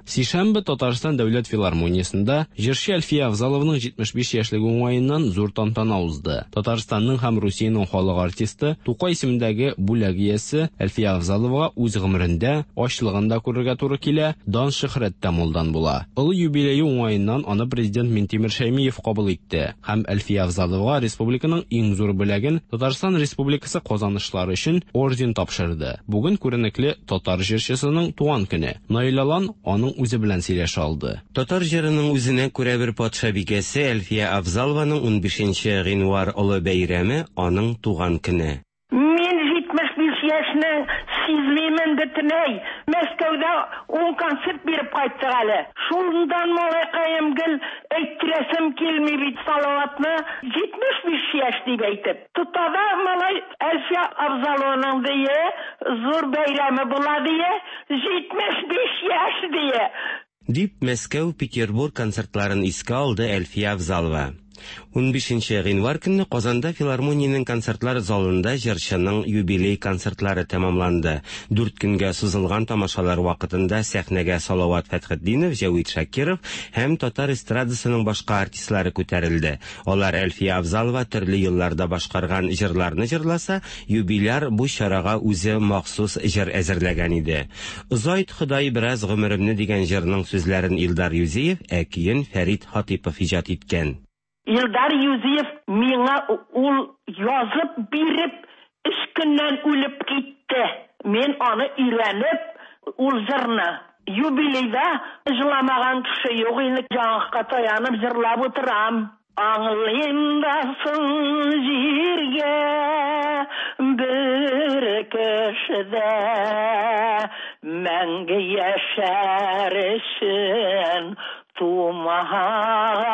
Сишәмбе Татарстан дәүләт филармониясендә җырчы Әлфия Авзалованың 75 яшьлеге уңаеннан зур тантана узды. Татарстанның һәм Русиянең халык артисты, Тукай исемендәге бүләк иясе Әлфия Авзаловага үз гомерендә ачлыгын да күрергә туры килә, дан-шөһрәт тә мулдан була. Олы юбилее уңаеннан аны президент Минтимер Шәймиев кабул итте һәм Әлфия Авзаловага республиканың иң зур бүләген Татарстан Республикасы казанышлары өчен орден тапшырды. Бүген күренекле татар җырчысының туган көне. Наил Алан аның үзе белән сөйләшә алды. Татар җырының үзенә күрә бер патшабикәсе Әлфия Авзалованың унбишенче гыйнвар олы бәйрәме, аның туган көне. Мин 75 яшьне сизмимен бөтенләй. Мәскәүдә ун концерт биреп кайттык әле. Шундан малайкаем гел әйттерәсем килми бит Салаватны 75 яшь дип әйтеп. Тота да малай Әлфия Авзалованың дие зур бәйрәме була дие, 75 яшь дие. Дип, Мәскәү, Петербург концертларын искә алды Әлфия Авзалова. Унбишенче гыйнвар көнне Казанда филармониянең концертлар залында җырчының юбилей концертлары тәмамланды. Дүрт көнгә сузылган тамашалар вакытында сәхнәгә Салават Фәтхетдинов, Җәвит Шакиров һәм татар эстрадасының башка артистлары күтәрелде. Алар Әлфия Авзалова төрле елларда башкарган җырларны җырласа, юбиляр бу чарага үзе махсус җыр әзерләгән иде. Озайт, Ходай, бераз гомеремне дигән җырның сүзләрен Илдар Юзиев, ә көен Фәрит Хатыйпов иҗат иткән. Илдар Юзиев миңа ул язып биреп, өч көннән үлеп китте. Мин аны өйрәнеп, ул җырны юбилейда җыламаган кеше юк инде, яңакка таянып җырлап утырам. Аңлыйм да соң җиргә бер кеше дә мәңге яшәр өчен тумаган.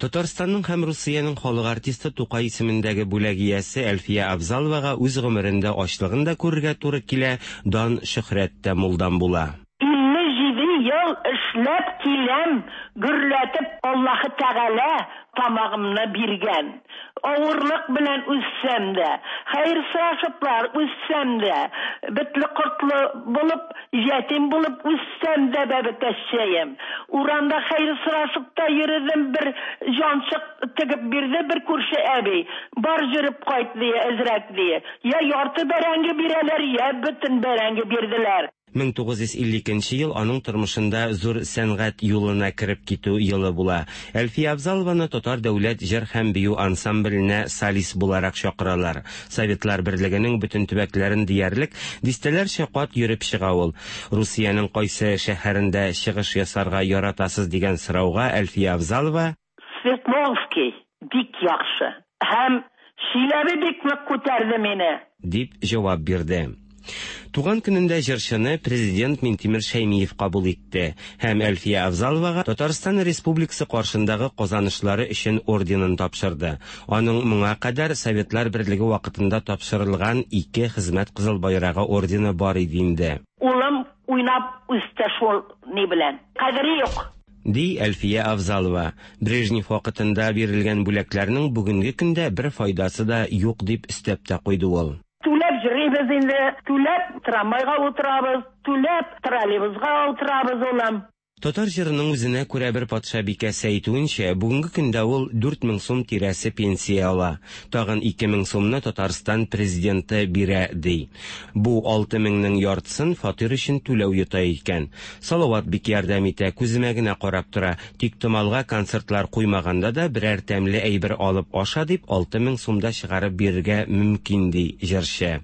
Татарстанның һәм Русиянең халык артисты Тукай исемендәге бүләк иясе Әлфия Авзаловага үз гомерендә ачлыгын да күрергә туры килә, дан-шөһрәт тә мулдан була. 57 ел эшләп киләм, гөрләтеп Аллаһы Тәгалә тамагымны биргән. Авырлык белән үссәм дә, хәер сорашыплар үссәм дә, бетле-кортлы булып, ятим булып үссәм дә, бәбекәччәем. Урамда хәер сорашып та йөредем, бер җанчык тегеп бирде бер күрше әби. Бар җөреп кайт, ди, әзрәк, ди. Я ярты бәрәңге бирәләр, я бөтен бәрәңге бирделәр. 1952 нче ел аның тормышында зур сәнгать юлына кереп китү елы була. Әлфия Авзалованы Татар дәүләт җыр һәм бию ансамбленә солист буларак чакыралар. Советлар Берлегенең бөтен төбәкләрен диярлек дистәләрчә кат йөреп чыга ул. Русиянең кайсы шәһәрендә чыгыш ясарга яратасыз дигән сорауга Әлфия Авзалова, Свердловский бик яхшы һәм Чиләбе бик нык күтәрде мине. Дип җавап бирде. Туган көнендә җырчыны президент Минтимер Шәймиев кабул итте һәм Әлфия Авзаловага Татарстан Республикасы каршындагы казанышлары өчен орденын тапшырды. Аның моңа кадәр Советлар Берлеге вакытында тапшырылган ике Хезмәт Кызыл Байрагы ордены бар иде инде. Улым уйнап үсте шул ни белән. Кадере юк. Ди Әлфия Авзалова. Брежнев вакытында бирелгән бүләкләрнең бүгенге көндә бер файдасы да юк дип өстәп тә куйды ул. Түләп йөрибез инде, түләп трамвайга утырабыз, түләп троллейбусга утырабыз, улым. Татар җырының үзенә күрә бер патшабикәсе әйтүенчә, бүгенге көндә ул 4000 сум тирәсе пенсия ала. Тагын 2000 сумны Татарстан президенты бирә, ди. Бу 6000-нең яртысын фатир өчен түләү йота икән. Салават бик ярдәм итә, күземә генә карап тора. Тиктомалга концертлар куймаганда да берәр тәмле әйбер алып аша дип 6000 сум да чыгарып бирергә мөмкин, ди җырчы.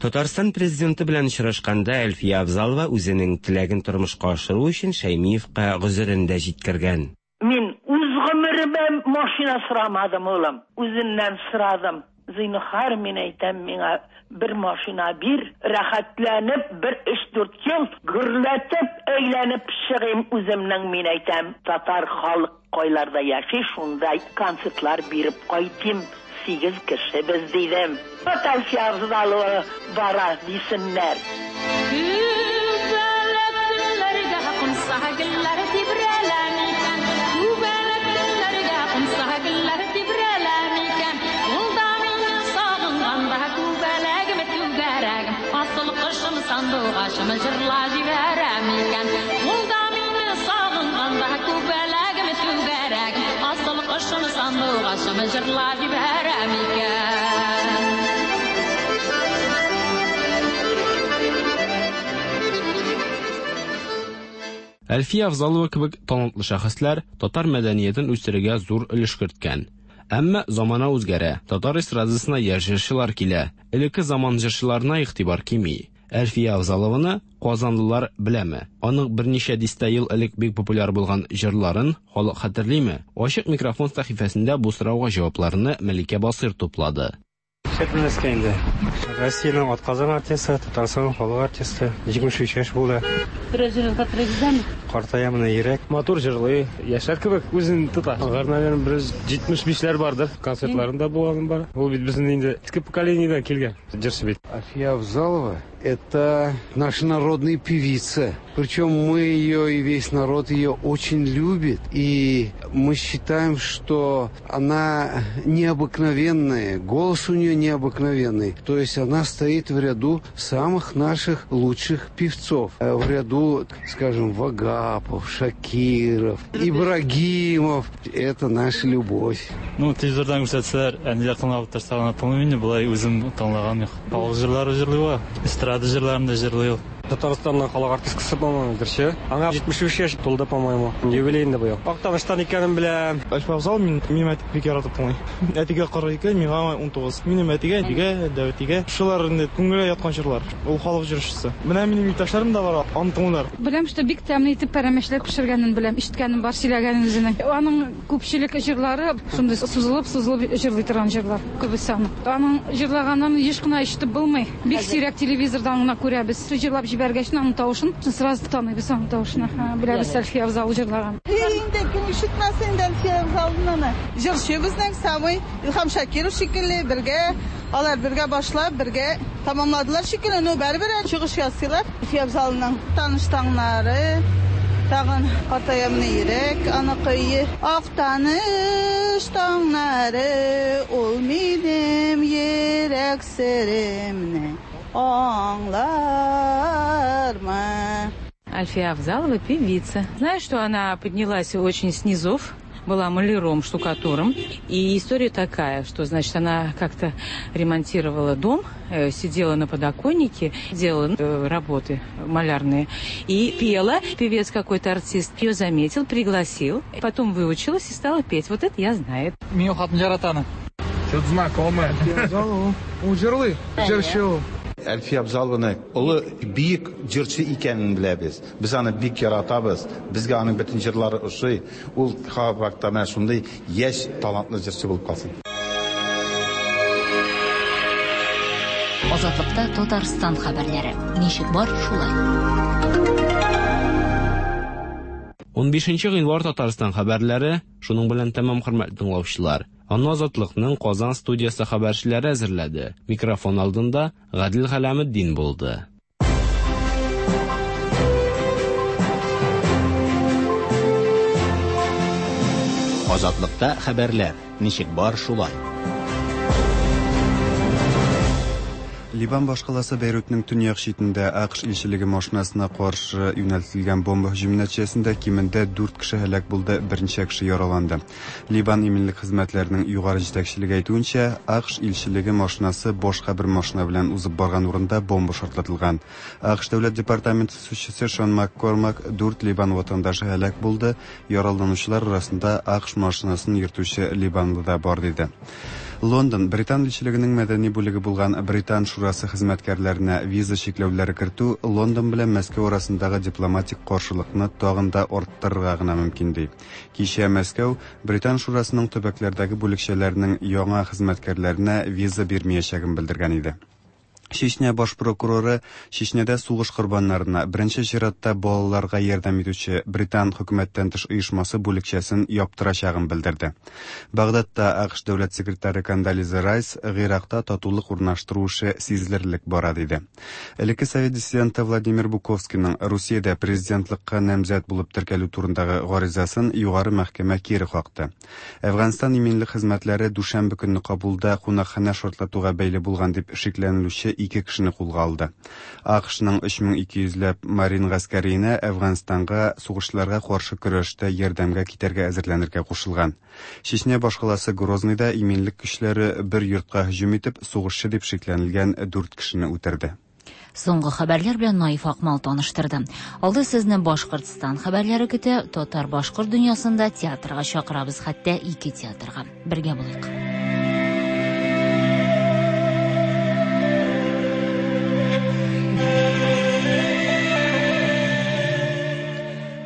Татарстан президенты белән очрашканда Әлфия Авзалова үзенең теләген тормышка ашыру өчен Шәймиевка гозерен дә җиткергән. Мин үз гомеремә машина сорамадым, улым. Үзеннән сорадым. Зинһар, мин әйтәм, миңа бер машина бир, рәхәтләнеп бер өч-дүрт ел гөрләтеп әйләнеп чыгыйм үземнең, мин әйтәм, татар халык кайларда яши, шунда концертлар биреп кайтыйм. Сигез кеше без, дидем. Вот Әлфия Авзалова бара, дисеннәр. Күбәләк төннәргә кунса гөлләр тибрәлә микән? Күбәләк төннәргә кунса гөлләр тибрәлә микән? Ул да мине сагынганда күбәләгем түгәрәгем, асыл кошым сандугачым җырла җибәрә микән? Ул да мине сагынганда күбәләгем түгәрәгем, асыл кошым сандугачым җырла җибәрә микән? Әлфия Авзалова кебек талантлы шәхесләр татар мәдәниятен үстерергә зур өлеш керткән. Әмма замана үзгәрә, татар эстрадасына яшь җырчылар килә. Элекке заман җырчыларына игътибар кими. Әлфия Авзалованы казанлылар беләме? Аның берничә дистә ел элек бик популяр булган җырларын халык хәтерлиме? Ачык микрофон сәхифәсендә бу сорауга җавапларны Мәликә Басыйр туплады. Шәп белмәскә инде. Россиянең атказанган артисты, Татарстанның халык артисты, 73 яшь булды. Берәр җырын хәтерегездәме? Картая менә йөрәк. Матур җырлый, яшьләр кебек үзен тота. Алар, наверное, бер 75ләр бардыр. Концертларында булганым бар. Ул бит безнең инде иске поколениедән килгән җырчы бит. Әлфия Авзалова – это наша народная певица. Причем мы ее и весь народ ее очень любит. И мы считаем, что она необыкновенная, голос у нее необыкновенный. То есть она стоит в ряду самых наших лучших певцов. В ряду, скажем, Вагапов, Шакиров, Ибрагимов. Это наша любовь. Ну, телевизордан күрсәтсәләр, әниләр тыңлап утырса гына тыңлыйм инде, болай үзем тыңлаган юк. Халык җырлары җырлый ул, эстрада җырларын да җырлый ул. Татарстанның халык артисткасы, по-моему, җырчы. Аңа 73 яшь тулды, по-моему. Юбилей инде быел. Актаныштан икәнен беләм. Әлфия Авзалова мин, минем әти бик яратып тыңлый. Әтигә 42, миңа 19. Минем әтигә, әтигә, дәү әтигә. Шулар инде күңелгә яткан җырлар. Ул халык җырчысы. Менә минем иптәшләрем дә бар, аны тыңлыйлар. Беләм, что бик тәмле итеп пәрәмәчләр пешергәнен беләм, ишеткәнем бар, сөйләгәнен үзенең. Аның күпчелек җырлары шундый сузылып-сузылып җырлый торган җырлар, күбесе аның. Аның җырлаганын еш кына ишетеп булмый. Бик сирәк телевизордан гына күрәбез. Җырлап җибәргәч, аның тавышын сразу таныйбыз аның тавышын. Беләбез Әлфия Авзалова җырлаган. Инде кем ишетмәсен инде Әлфия Авзалованы. Җырчы безнең самый Илһам Шакиров шикелле бергә, алар бергә башлап, бергә тамамладылар шикелле, но барыбер чыгыш ясыйлар. Әлфия Авзалованың таныш таңнары, тагын картаямны йөрәк, аныкы Актаныш таңнары, ул минем йөрәк серемне аңлармы? Альфия Авзалова певица. Знаю, что она поднялась очень с низов, была маляром, штукатуром. И история такая, что, значит, она как-то ремонтировала дом, сидела на подоконнике, делала работы малярные и пела. Певец какой-то артист ее заметил, пригласил, потом выучилась и стала петь. Вот это я знаю. Минем хатын ярата аны. Что-то знакомое. Әлфия Авзалова. Ул җырлый, җырчы ул. Әлфия Авзалованы олы бөек җырчы икәнен беләбез. Без аны бик яратабыз. Безгә аның бөтен җырлары ошый. Ул һәрвакытта менә шундый яшь талантлы җырчы булып калсын. Азатлыкта Татарстан хәбәрләре. Ничек бар, шулай. 15 гыйнвар Татарстан хәбәрләре шуның белән тәмам, хөрмәтле тыңлаучылар. Аны Азатлыкның Казан студиясе хәбәрчеләре әзерләде. Микрофон алдында Гадел Галәметдин булды. Азатлыкта хәбәрләр. Ничек бар, шулай. Ливан башкаласы Бәйрутның төньяк читендә АКШ илчелеге машинасына каршы юнәлтелгән бомба һөҗүме нәтиҗәсендә кимендә дүрт кеше һәлак булды, берничә кеше яраланды. Ливан иминлек хезмәтләренең югары җитәкчелеге әйтүенчә, АКШ илчелеге машинасы башка бер машина белән узып барган урында бомба шартлатылган. АКШ дәүләт департаменты сүзчесе Шон МакКормак дүрт Ливан ватандашы һәлак булды, Яраланучылар арасында АКШ машинасын йөртүче ливанлы да бар, диде. Лондон, Британ илчелегенең мәдәни бүлеге булган Британ шурасы хезмәткәрләренә виза чикләүләре кертү Лондон белән Мәскәү арасындагы дипломатик каршылыкны тагын да арттырырга гына мөмкин, ди. Кичә Мәскәү Британ шурасының төбәкләрдәге бүлекчәләренең яңа хезмәткәрләренә виза бирмиячәген белдергән иде. Чечня баш прокуроры Чечнядә сугыш корбаннарына, беренче чиратта балаларга ярдәм итүче Британ хөкүмәттән тыш оешмасы бүлекчәсен яптырачагын белдерде. Багдадта АКШ дәүләт секретаре Кондолиза Райс Гыйракта татулык урнаштыру эше сизелерлек бара диде. Элекке совет диссиденты Владимир Буковскийның Русиядә президентлыкка намзәт булып теркәлү турындагы гаризасын Югары мәхкәмә кире какты. Әфганстан иминлек хезмәтләре дүшәмбе көнне Кабулда кунакханә шартлатуга бәйле булган дип шикләнелүче ике кешене кулга алды. АКШның 3200 ләп марин гаскәриенә Әфганстанга сугышчыларга каршы көрәштә ярдәмгә китәргә әзерләнергә кушылган. Чечня башкаласы Грозныйда иминлек көчләре бер йортка һөҗүм итеп, сугышчы дип шикләнелгән дүрт кешене үтерде. Соңгы хәбәрләр белән Наиф Акмал таныштырды. Алда сезне Башкортстан хәбәрләре көтә. Татар-башкорт дөньясында театрга чакырабыз, хәтта ике театрга. Бергә булыйк.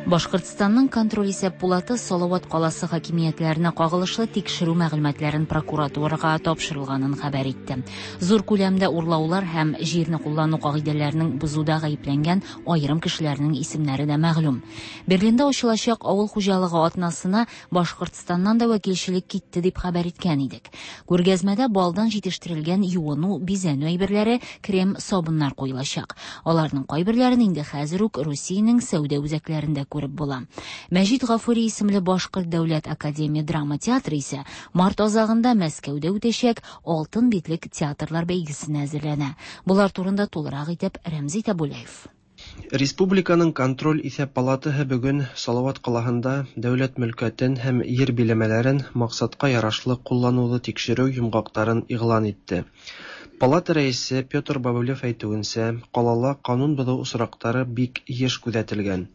Башкортстанның контроль-исәп пулаты Салават каласы хакимиятләренә кагылышлы тикшерү мәгълүматларын прокуратурага тапшырылганын хәбәр итте. Зур күләмдә урлаулар һәм җирне куллану кагыйдәләренең бозуда гаепләнгән аерым кешеләрнең исемнәре дә мәгълүм. Берлинда ачылачак авыл хуҗалыгы атнасына Башкортстаннан да вәкилчелек китте дип хәбәр иткән идек. Күргәзмәдә балдан җитештерелгән юыну, бизәнү әйберләре, крем, сабыннар куелачак. Аларның кайберләрен инде хәзер үк Русиянең сәүдә үзәкләрендә күреп була. Мәҗит Гафури исемле Башкорт дәүләт академия драма театры исә март азагында Мәскәүдә үтәчәк Алтын битлек театрлар бәйгесенә әзерләнә. Болар турында тулырак итеп Рәмзи Тәбүләев. Республиканың Контроль-исәп палатаһы бөгөн Салават калаһында дәүләт мөлкәтен һәм ер биләмәләрен максатка ярашлы куллануны тикшерү йомгактарын игълан итте. Палата рәисе Петр Бобылев әйтүенчә, калала канун бозу очрактары бик еш күзәтелгән.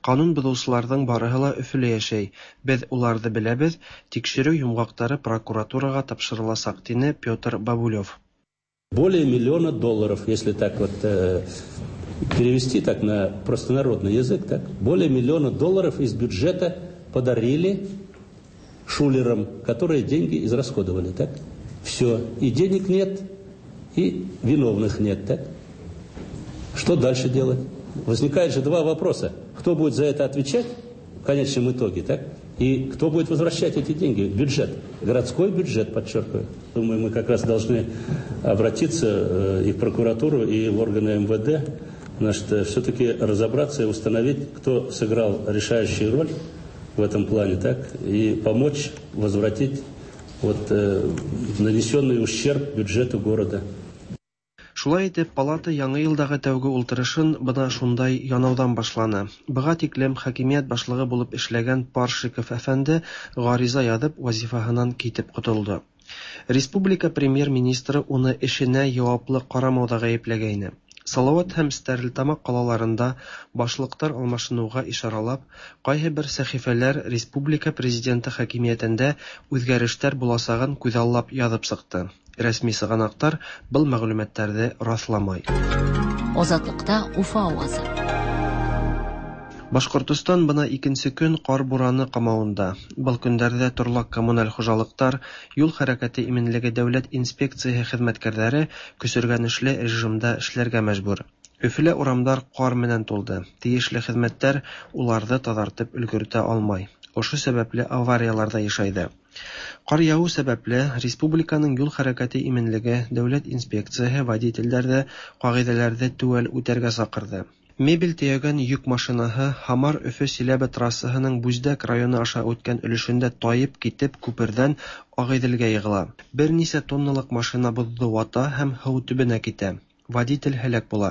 Канун бозучыларның барыһы ла Өфөлә яшәй, без уларны беләбез, тикшерү йомгактары прокуратурага тапшырыласак, дине Петр Бобылев. Более миллиона долларов, если так вот э, перевести так на простонародный язык, так, более миллиона долларов из бюджета подарили шулерам, которые деньги израсходовали, так? Все. И денег нет, и виновных нет, так? Что дальше делать? Возникает же два вопроса. Кто будет за это отвечать в конечном итоге, так? И кто будет возвращать эти деньги в бюджет? Городской бюджет, подчеркиваю. Думаю, мы как раз должны обратиться э, и в прокуратуру, и в органы МВД, значит, э, все-таки разобраться и установить, кто сыграл решающую роль в этом плане, так, и помочь возвратить вот, э, нанесенный ущерб бюджету города. Шулай итеп, палата яңа елдагы тәүге ултырышын бына шундай янаудан башланы. Быга тиклем хакимият башлыгы булып эшләгән Паршиков әфәнде гариза язып вазифаһынан китеп котылды. Республика премьер-министры уны эшенә яваплы карамауда гаепләгәйне. Салават һәм Стәрлетамак калаларында башлыктар алмашынуга ишаралап, кайһы бер сәхифәләр республика президенты хакимиятендә үзгәрештәр буласагын күзаллап язып чыкты. Рәсми сыганактар был мәгълүматларны расламай. Азатлыкта Уфа авазы. Башкортостан бына икенче көн кар бураны камавында. Был көндәрҙә торлаҡ-коммуналь хужалыҡтар, юл хәрәкәте именлеге дәүләт инспекцияһы хеҙмәткәрҙәре көсөргәнешле режимда эшләргә мәжбүр. Өфөлә урамдар ҡар менән тулды. Тейешле хеҙмәттәр уларҙы таҙартып өлгөртә алмай. Ошо сәбәпле авариялар ҙа йышайҙы. Ҡар яуыу сәбәпле, республиканың юл хәрәкәте именлеге дәүләт инспекцияһы водителдәрҙе ҡағиҙәләрҙе теүәл үтәргә саҡырҙы. Мебель төйәгән йөк машинаһы Һамар-Өфө-Силәбе трассаһының Бүздәк районы аша үткән өлөшөндә тайып китеп күперҙән Ағиҙелгә йығыла. Бер нисә тонналыҡ машина боҙҙо вата һәм һыу төбөнә китә. Водитель һәләк була.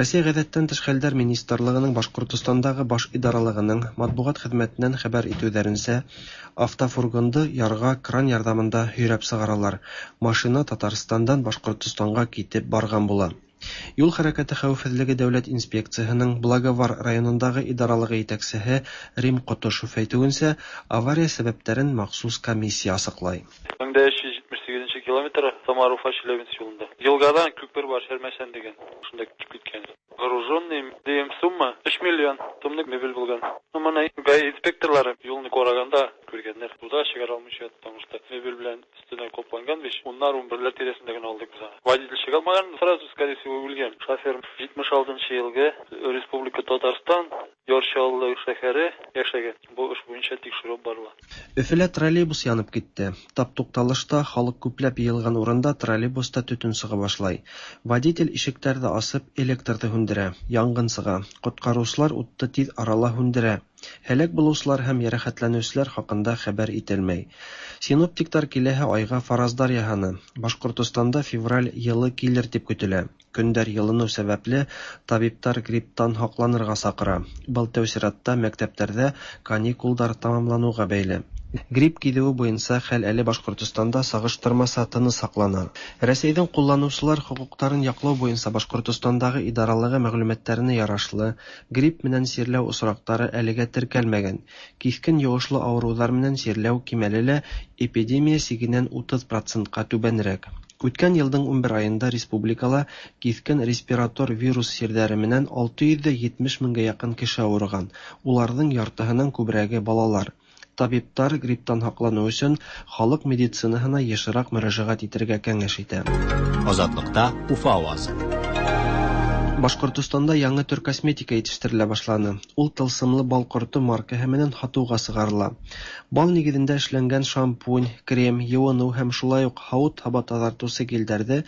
Рәсәй Ғәҙәттән тыш хәлдәр министрлығының Башҡортостандағы баш идаралығының матбуғат хеҙмәтенән хәбәр итеүҙәренсә, автофургонды ярға кран ярҙамында һөйрәп сығаралар. Машина Татарстандан Башҡортостанға китеп барған була. Юл хәрәкәте хәүефһеҙлеге дәүләт инспекцияһының Благовар районындағы идаралығы етәксеһе Рим Ҡотошов әйтеүенсә, авария сәбәптәрен махсус комиссия асыҡлай. 1378 километр Самар-Уфа Челябинск юлында. Елгадан күпер бар, Шәрмәшән дигән. Шунда китеп киткән. Груженный дигән сумма 3 миллион сумлык мебель булган. Ну, моны ГАИ инспекторлары юлны караганда күргәннәр. Суда чыгара алмыйча, потому что мебель белән өстенә капланган бит. Уннар, унберләр тирәсендә генә алдык без аны. Водитель чыга алмаган, сразу, скорее всего, үлгән. Шофер 76 елгы Республика Татарстан, Яр Чаллы шәһәре яшәгән. Бу эш буенча тикшерү барыла. Өфөлә троллейбус янып китте. Тап тукталышта, халык күпләп йыйылган урында троллейбуста төтен сыга башлай. Водитель ишектәрҙе асып, электрҙы һүндерә. Янгын сыға. Ҡотҡарыусылар утты тиҙ арала һүндерә. Һәләк булыусылар һәм йәрәхәтләнеүселәр хаҡында хәбәр ителмәй. Синоптиктар киләһе айға фараздар яһаны. Башҡортостанда февраль йылы килер тип көтөлә. Көндәр йылыныу сәбәпле табиптар грипптан һаҡланырға саҡыра. Был тәү сиратта мәктәптәрҙә каникулдар тамамланыуға бәйле. Грипп киҙеүе буйынса хәл әле Башҡортостанда сағыштырмаса тыныс һаҡлана. Рәсәйҙең ҡулланыусылар хоҡуҡтарын яҡлау буйынса Башҡортостандағы идаралығы мәғлүмәттәренә ярашлы, грипп менән сирләү осраҡтары әлегә теркәлмәгән. Киҫкен йоғошло ауырыуҙар менән сирләү кимәле лә эпидемия сигенән 30 процентҡа түбәнерәк. Үткән йылдың 11 айында республикала киҫкен респиратор вирус сирҙәре менән 670 меңгә яҡын кеше ауырыған. Уларҙың яртыһынан күберәге балалар. Табиптар грипптан һаҡланыу өсөн халыҡ медицинаһына йышыраҡ мөрәжәғәт итергә кәңәш итә. Азатлыкта Уфа авазы. Башҡортостанда яңы төр косметика етештерелә башланы. Ул тылсымлы бал ҡорто маркаһы менән һатыуға сығарыла. Бал нигеҙендә эшләнгән шампунь, крем, йыуыныу һәм шулай уҡ һауыт-һаба таҙартыусы гелдәрҙе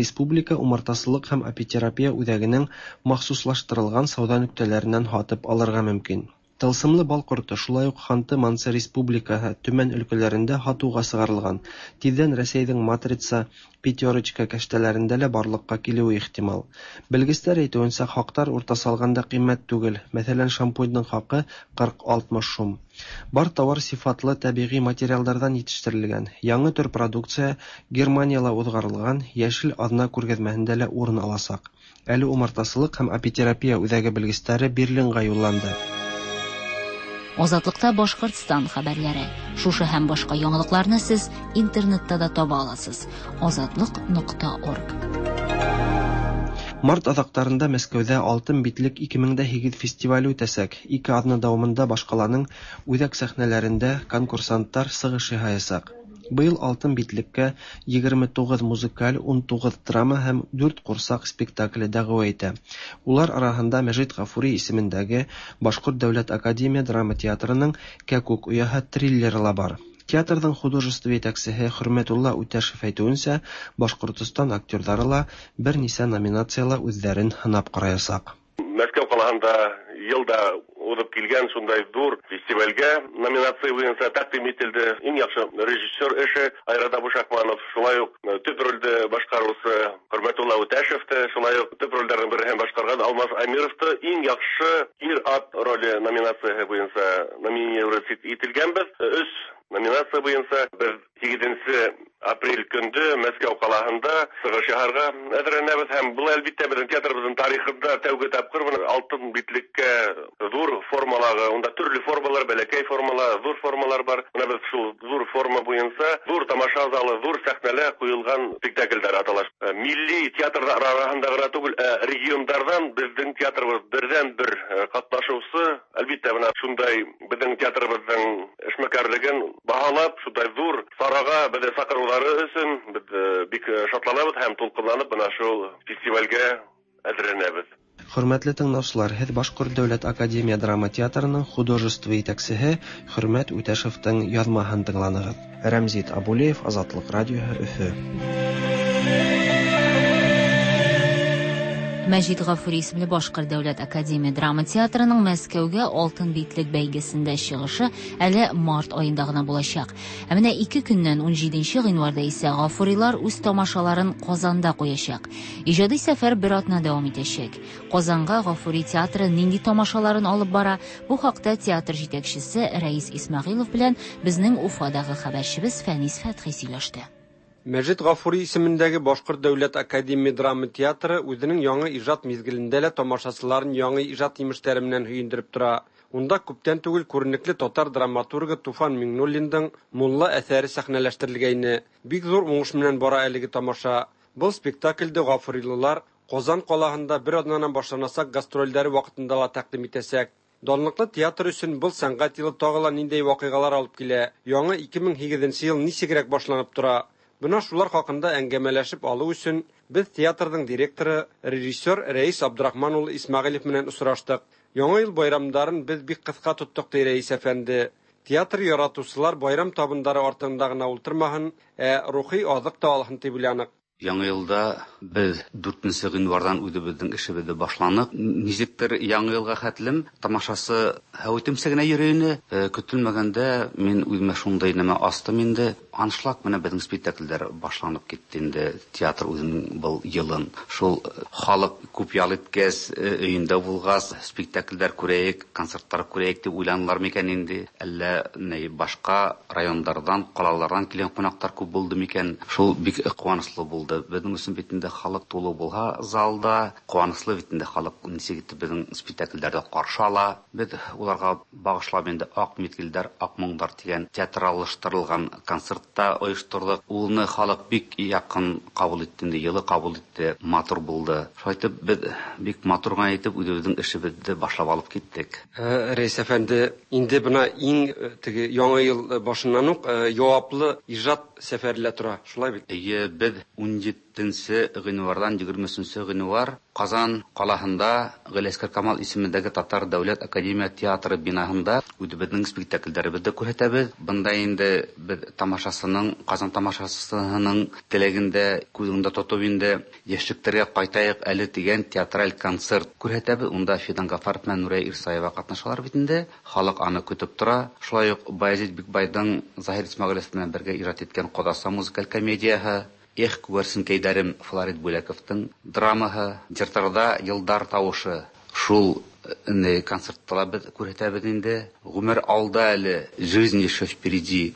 Республика умартасылыҡ һәм апитерапия үҙәгенең махсуслаштырылған сауҙа нөктәләренән һатып алырға мөмкин. Тылсымлы бал ҡорто шулай уҡ Ханты-Мансы Республикаһы, Төмән өлкәләрендә һатыуға сығарылған. Тиҙҙән Рәсәйҙең Матрица, Пятерочка кәштәләрендә лә барлыҡҡа килеүе ихтимал. Белгестәр әйтеүенсә, хаҡтар уртаса алғанда ҡиммәт түгел. Мәҫәлән, шампуньдың хаҡы 40-60 һум. Бар тауар сифатлы тәбиғи материалдарҙан етештерелгән. Яңы төр продукция Германияла уҙғарылған Йәшел аҙна күргәҙмәһендә лә урын аласаҡ. Әле умартасылыҡ һәм апитерапия үҙәге белгестәре Берлинға юлланды. Азатлыкта Башкортстан хәбәрләре. Шушы һәм башка яңалыкларны сез интернетта да таба аласыз. Азатлык.орг. Март аҙаҡтарында Мәскәүҙә Алтын битлек 2008 фестивале үтәсәк. Ике аҙна дауамында башҡаланың үҙәк сәхнәләрендә конкурсанттар сығыш яһаясаҡ. Быйыл Алтын битлеккә 29 музыкаль, 19 драма һәм 4 ҡурсаҡ спектакле дәғүә итә. Улар араһында Мәжит Ғафури исемендәге Башҡорт дәүләт академия драма театрының Кәкүк ояһы триллеры ла бар. Театрҙың художество етәксеһе Хөрмәтулла Үтәшев әйтеүенсә, Башҡортостан актерҙары ла бер нисә номинацияла үҙҙәрен һынап ҡараясаҡ. Мәскәү ҡалаһында йыл да уҙып килгән шундай ҙур фестивалгә номинация буйынса тәҡдим ителде. Иң яҡшы режиссер эше Айрат Абушахманов, шулай уҡ төп ролде башҡарыусы Хөрмәтулла Үтәшевте, шулай уҡ төп ролдәрҙең береһен башҡарған Алмаз Амировты иң яҡшы ир-ат роле номинацияһы буйынса номинировать ителгәнбеҙ. Өс номинация буйынса беҙ 8 апрель көндө Мәскәү ҡалаһында сығыш яһарға әҙерләнәбеҙ һәм был әлбиттә беҙҙең театрыбыҙҙың тарихында тәүге тапҡыр бына алтын битлеккә ҙур формалағы, унда төрлө формалар, бәләкәй формалар, ҙур формалар бар. Бына беҙ шул ҙур форма буйынса ҙур тамаша залы, ҙур сәхнәлә ҡуйылған спектаклдәр атала. Милли театрҙар араһында ғына түгел, ә региондарҙан беҙҙең театрыбыҙ берҙән-бер ҡатнашыусы Хәбәрчебез тә менә шундай безнең театрыбызның эшмәкәрлеген баһалап, шундай зур чарага безне чакырулары өчен без бик шатланабыз һәм тулкынланып менә шул фестивальгә әзерләнәбез. Хөрмәтле тыңлаучылар, һеҙ Башҡорт дәүләт академия драма театрының художество етәксеһе Хөрмәт Үтәшевтең яҙмаһын тыңланығыҙ. Рәмзит Абулеев, Азатлыҡ радиоһы, Өфө. Мәҗит Гафури исемле Башкорт дәүләт академия драма театрының Мәскәүгә Алтын битлек бәйгесендә чыгышы әле март аенда гына булачак. Ә менә ике көннән 17 гыйнварда исә Гафурилар үз тамашаларын Казанда куячак. Иҗади сәфәр бер атна дәвам итәчәк. Казанга Гафури театры нинди тамашаларын алып бара? Бу хакта театр җитәкчесе Рәис Исмәгыйлов белән безнең Уфадагы хәбәрчебез Фәнис Фәтхи сөйләште. Мәҗит Гафури исемендәге Башкорт дәүләт академия драма театры үзенең яңа иҗат мизгелендә лә тамашачыларын яңа иҗат имешләре белән һөендереп тора. Унда күптән түгел күренекле татар драматургы Туфан Миңнуллиндың Мулла әсәре сәхнәләштерелгәйне. Бик зур уңыш белән бара әлеге тамаша. Был спектакльде гафурилылар Казан калаһында бер атнанан башланасак гастрольләре вакытында ла тәкъдим итәсәк. Данлыклы театр өчен был сәнгать елы тагы ла ниндәй вакыйгалар алып килә? Яңа 2008 ел ничегрәк башланып тора? Бына шулар хакында әңгәмәләшеп алу өчен без театрның директоры, режиссер Рәис Абдрахман улы Исмәгыйлев менән осраштык. Яңа ел байрамдарын без бик кыска тоттык, ди Рәис әфәнде. Театр яратучылар байрам табындары артында гына ултырмаһын, ә рухи азык та алһын дип уйланык. Яңа елда без 4 гыйнвардан үзебезнең эшебезне башланык. Ничектер яңа елга хәтлем тамашасы һәүтемсә генә йөрүне көтелмәгәндә мин үземә шундай нәмә астым инде. Аншлаг менә безнең спектакльләр башланып китте инде. Театр үзенең был елын. Шул халык күп ял иткәс, өендә булгас, спектакльләр күрәйек, концертлар күрәйек дип уйланалар микән инде? Әллә ни башка райондардан, калалардан килгән кунаклар күп булды микән? Шул бик куанычлы булды. Безнең өчен бит инде халык тулы булһа залда, куанычлы бит инде халык ничек итеп безнең спектакльләрдә каршы ала. Без уларга багышлап инде Ак мизгелләр, Ак моңнар дигән театраллаштырылган концерт та оештырдык. Улны халык бик якын кабул итте инде, йылы кабул итте, матур булды. Шулай итеп без бик матур гына итеп үзебезнең эшебезне башлап алып киттек. Рәис әфәнде, инде бына иң теге яңа ел башыннан ук яваплы иҗат сәфәре тора, шулай бит? Әйе, без 17 гыйнвардан 23 гыйнвар Казан калаһында Галиәсгар Камал исемендәге Татар дәүләт академия театры бинаһында үзебезнең спектакльләребезне күрсәтәбез. Бында инде без тамашасының, Казан тамашасының теләгендә күз уңында тотып инде яшьлекләргә кайтайык әле дигән театраль концерт күрсәтәбез. Унда Фидан Гафаров белән Нурия Ирсаева катнашалар бит инде. Халык аны көтеп тора. Шулай ук Баязит Бикбайдың Заһир Исмәгыйлев белән бергә иҗат иткән Кодаса музыкаль комедияһы, Эх, күгәрсенкәйдәрем Флорид Бүләковтың драмаһы, Җыртарда Йылдар тавышы. Шул концертта без күрсәтәбез инде. Гомер алда әле, Жизнь еще впереди,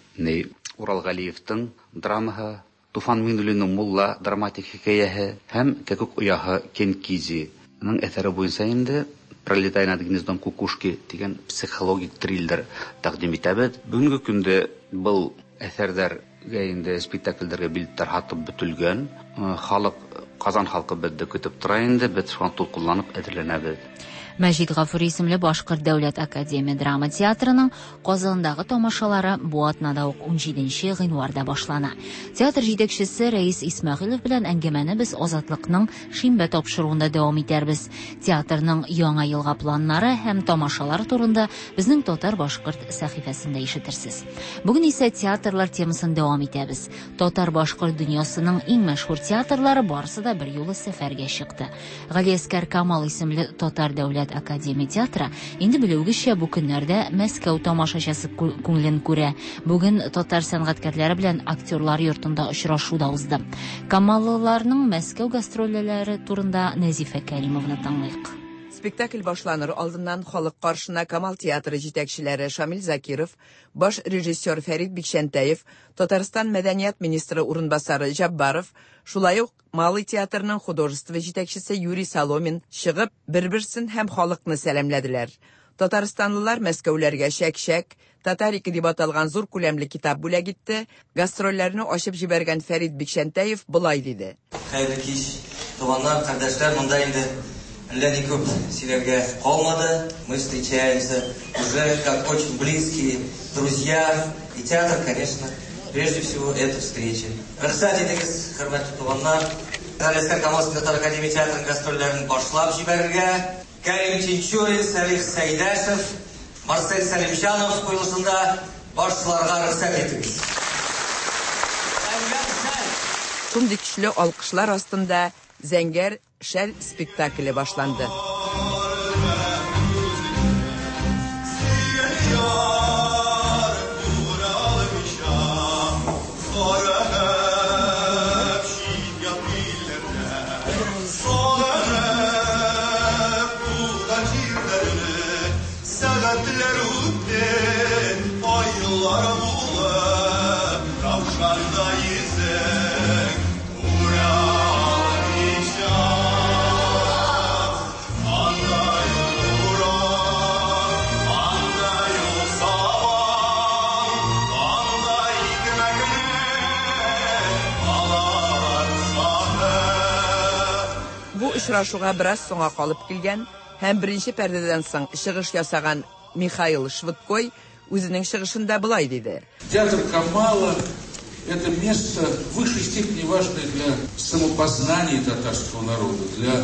Урал Галиевтың драмаһы, Туфан Миңнуллинның Мулла драматик хикәяһе һәм Кәкүк ояһы Кенкизиның әсәре буенча инде Пролетая над гнездом кукушки дигән психологик триллер тәкъдим итәбез. Бүгенге көндә был әсәрләргә инде спектакльләргә билетлар һатып бөтелгән. Халык, Казан халкы безне көтеп тора инде, без шуңа тулкынланып әзерләнәбез. Мәҗит Гафури исемле Башкорт дәүләт академия драма театрының Казандагы тамашалары бу атнада ук 17 гыйнварда башлана. Театр җитәкчесе Рәис Исмәгыйлев белән әңгәмәне без Азатлыкның шимбә тапшыруында дәвам итәрбез. Театрның яңа елга планнары һәм тамашалар турында безнең Татар-башкорт сәхифәсендә ишетерсез. Бүген исә театрлар темасын дәвам итәбез. Татар-башкорт дөньясының иң мәшһүр театрлары барысы да бер юлы сәфәргә чыкты. Галиәсгар Камал исемле Татар дәүләт академия театры инде белүегезчә бу көннәрдә Мәскәү тамашачысы күңелен күрә. Бүген татар сәнгатькәрләре белән актерлар йортында очрашу да узды. Камаллыларның Мәскәү гастрольләре турында Нәзифә Кәримованы тыңлыйк. Спектакль башланыр алдыннан халык каршына Камал театры җитәкчеләре Шамил Закиров, баш режиссер Фәрит Бикчәнтәев, Татарстан мәдәният министры урынбасары Җаббаров, шулай ук Малый театрының художество җитәкчесе Юрий Соломин чыгып, бер-берсен һәм халыкны сәламләделәр. Татарстанлылар Мәскәүләргә чәк-чәк, Татарика дип аталган зур күләмле китап бүләк итте. Гастрольләрне ачып җибәргән Фәрит Бикчәнтәев болай диде. Хәерле кич, туганнар, кардәшләр, монда инде Әллә ни күп сөйләргә калмады. Мы встречаемся уже как очень близкие друзья. И театр, конечно, прежде всего, это встреча. Рөхсәт итегез, хөрмәтле туганнар, Галиәсгар Камал татар академия театрының гастрольләрен башлап җибәрергә. Кәрим Тинчурин, Сәлих Сәйдәшев, Марсель Сәлимҗанов куелышында башларга рөхсәт итегез. Шундый көчле алкышлар астында Зәңгәр шәл спектакле башланды. Бу очрашуга бераз соңга калып килгән һәм беренче пәрдәдән соң чыгыш ясаган Михаил Швыдкой үзенең чыгышында болай диде. Театр Камала – это место в высшей степени важное для самопознания татарского народа, для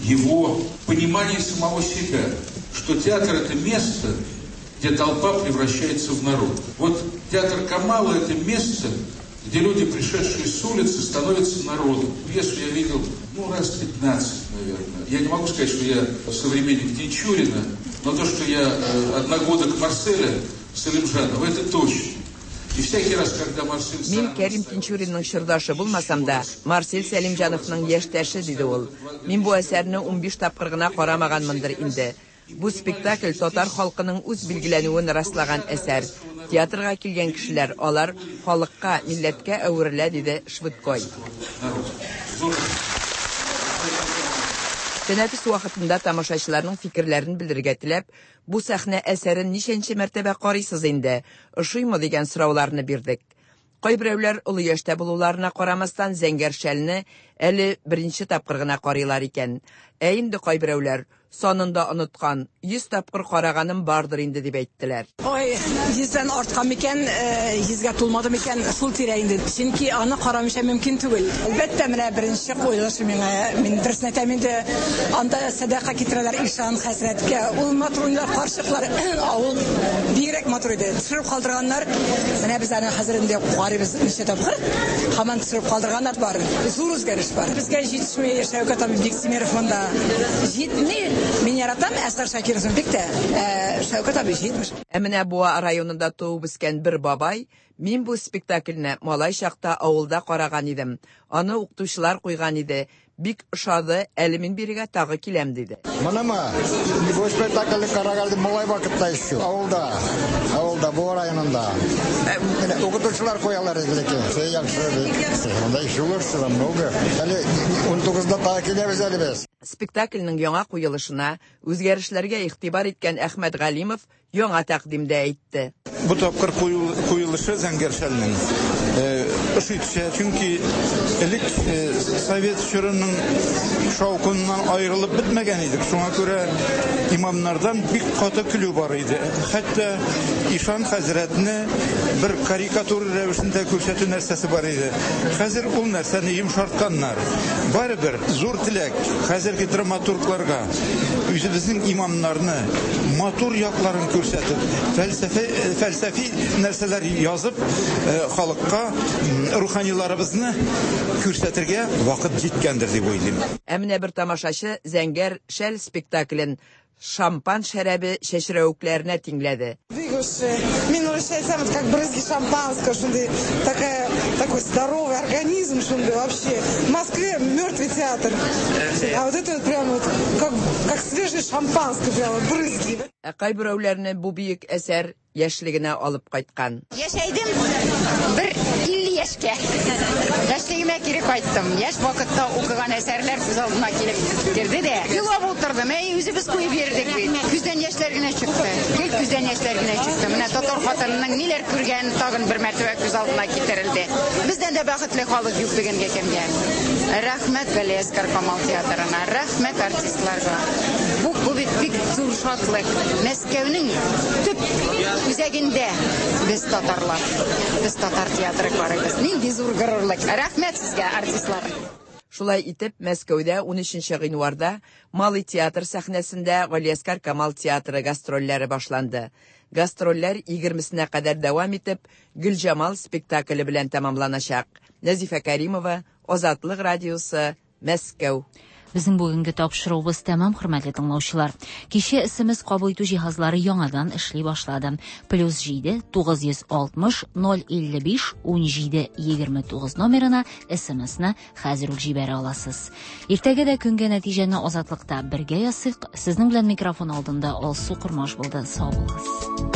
его понимания самого себя, что театр – это место, где толпа превращается в народ. Вот театр Камала – это место, где люди, пришедшие с улицы, становятся народом. Пьесу я видел, ну, раз 15, наверное. Я не могу сказать, что я современник Тинчурина, но то, что я одногодок Марселя Салимжанова, это точно. И всякий раз, когда Марсель... Мин Кәрим Тинчуринның чордашы булмасам да, Марсель Сәлимҗановның яшьтәше, диде ул. Мин бу әсәрне 15 тапкыр гына карамаганмындыр инде. Бу спектакль татар халкының үз билгеләнүен раслаган әсәр. Театрга килгән кешеләр, алар халыкка, милләткә әверелә, диде Швыдкой. Тәнәфес вакытында тамашачыларның фикерләрен белдерергә теләп, бу сәхнә әсәрен ничәнче мәртәбә карыйсыз инде, ошыймы дигән сорауларны бирдек. Кайберәүләр олы яшьтә булуларына карамастан Зәңгәр шәлне әле беренче тапкыр гына карыйлар икән. Ә инде кайберәүләр санын да оныткан, 100 тапкыр караганым бардыр инде дип әйттеләр. Ой, 100дән арткан микән, 100гә тулмады микән, шул тирә инде. Чөнки аны карамыйча мөмкин түгел. Әлбәттә, менә беренче куелышы миңа, мин дөресен әйтәм инде, анда сәдака китерәләр ишан хәзрәткә. Ул матур уйныйлар, карчыклар, авыл бигрәк матур иде. Төшереп калдырганнар, менә без аны хәзер инде карыйбыз ничә тапкыр, һаман төшереп калдырганнар бар. Зур үзгәреш бар. Безгә җитешми Шәүкәт абый Биктимеров монда. Җитми. Мин яратам Әсгар Шакировны бик тә. Шәүкәт абый җитмеш. Ә менә Буа районында туып үскән бер бабай, мин бу спектакльне малай чакта авылда караган идем. Аны укытучылар куйган иде. Бик ошады, әле мин бирегә тагы киләм, диде. Монымы? Бу спектакльне караган идем малай вакытта еще. Авылда. Авылда, Буа районында. Менә укытучылар куялар иде ләкин. Все яхшы бик. Монда еще лучше намного. Әле 19-да тагы киләбез әле без. Спектакльнең яңа куелышына үзгәрешләргә игътибар иткән Әхмәт Галимов яңа тәкъдим дә әйтте. Бу тапкыр куелышы Зәңгәр шәлнең ошый төшә, чөнки элек совет чорының шаукыннан аерылып бетмәгән идек. Шуңа күрә имамнардан бик каты көлү бар иде. Хәтта ишан хәзрәтне бер карикатура рәвешендә күрсәтү нәрсәсе бар иде. Хәзер ул нәрсәне йомшартканнар. Барыбер зур теләк хәзерге драматургларга үзебезнең имамнарны матур якларын күрсәтеп, фәлсәфи нәрсәләр язып, халыкка руханиларыбызны күрсәтергә вакыт җиткәндер дип уйлыйм. Ә менә бер тамашачы Зәңгәр шәл спектаклен шампан шәрабе чәчрәвекләренә тиңләде. Мин урысча әйтсәм, это как брызги шампанского, шундый, такая, такой здоровый организм, шундый вообще. В Москве мертвый театр. А вот это вот прям вот как свежее шампанское, прям вот брызги. Ә кайберәүләрне бу бөек әсәр яшьлегенә алып кайткан. Яшәйдем бер 50 яшькә. Яшьлегемә кире кайттым. Яшь вакытта укыган әсәрләр күз алдыма килеп керде дә. Елап утырдым. Әй, үзебез куеп йөрдек бит. Күздән яшьләр генә чыкты. Гел күздән яшьләр генә чыкты. Менә татар хатынының ниләр күргәне тагын бер мәртәбә күз алдына китерелде. Бездән дә бәхетле халык юк бүгенге көнгә. Рәхмәт Галиәсгар Камал театрына, рәхмәт артистларга. Бу, бу бит бик зур шатлык. Мәскәүнең төп үзәгендә без татарлар. Без татар театры карыйбыз. Нинди зур горурлык. Рәхмәт сезгә, артистлар. Шулай итеп, Мәскәүдә 13 гыйнварда Малый театр сәхнәсендә Галиәсгар Камал театры гастрольләре башланды. Гастрольләр 20-сенә кадәр дәвам итеп, Гөлҗамал спектакле белән тәмамланачак. Нәзифә Кәримова, Азатлык радиосы, Мәскәү. Безнең бүгенге тапшыруыбыз тәмам, хөрмәтле тыңлаучылар. Кичә SMS кабул итү җиһазлары яңадан эшли башлады. Плюс 7 960 055 17 29 номерына SMS-ны хәзер үк җибәрә аласыз. Иртәгә дә көнгә нәтиҗәне Азатлыкта бергә ясыйк. Сезнең белән микрофон алдында Алсу Кормаш булды. Сау булыгыз.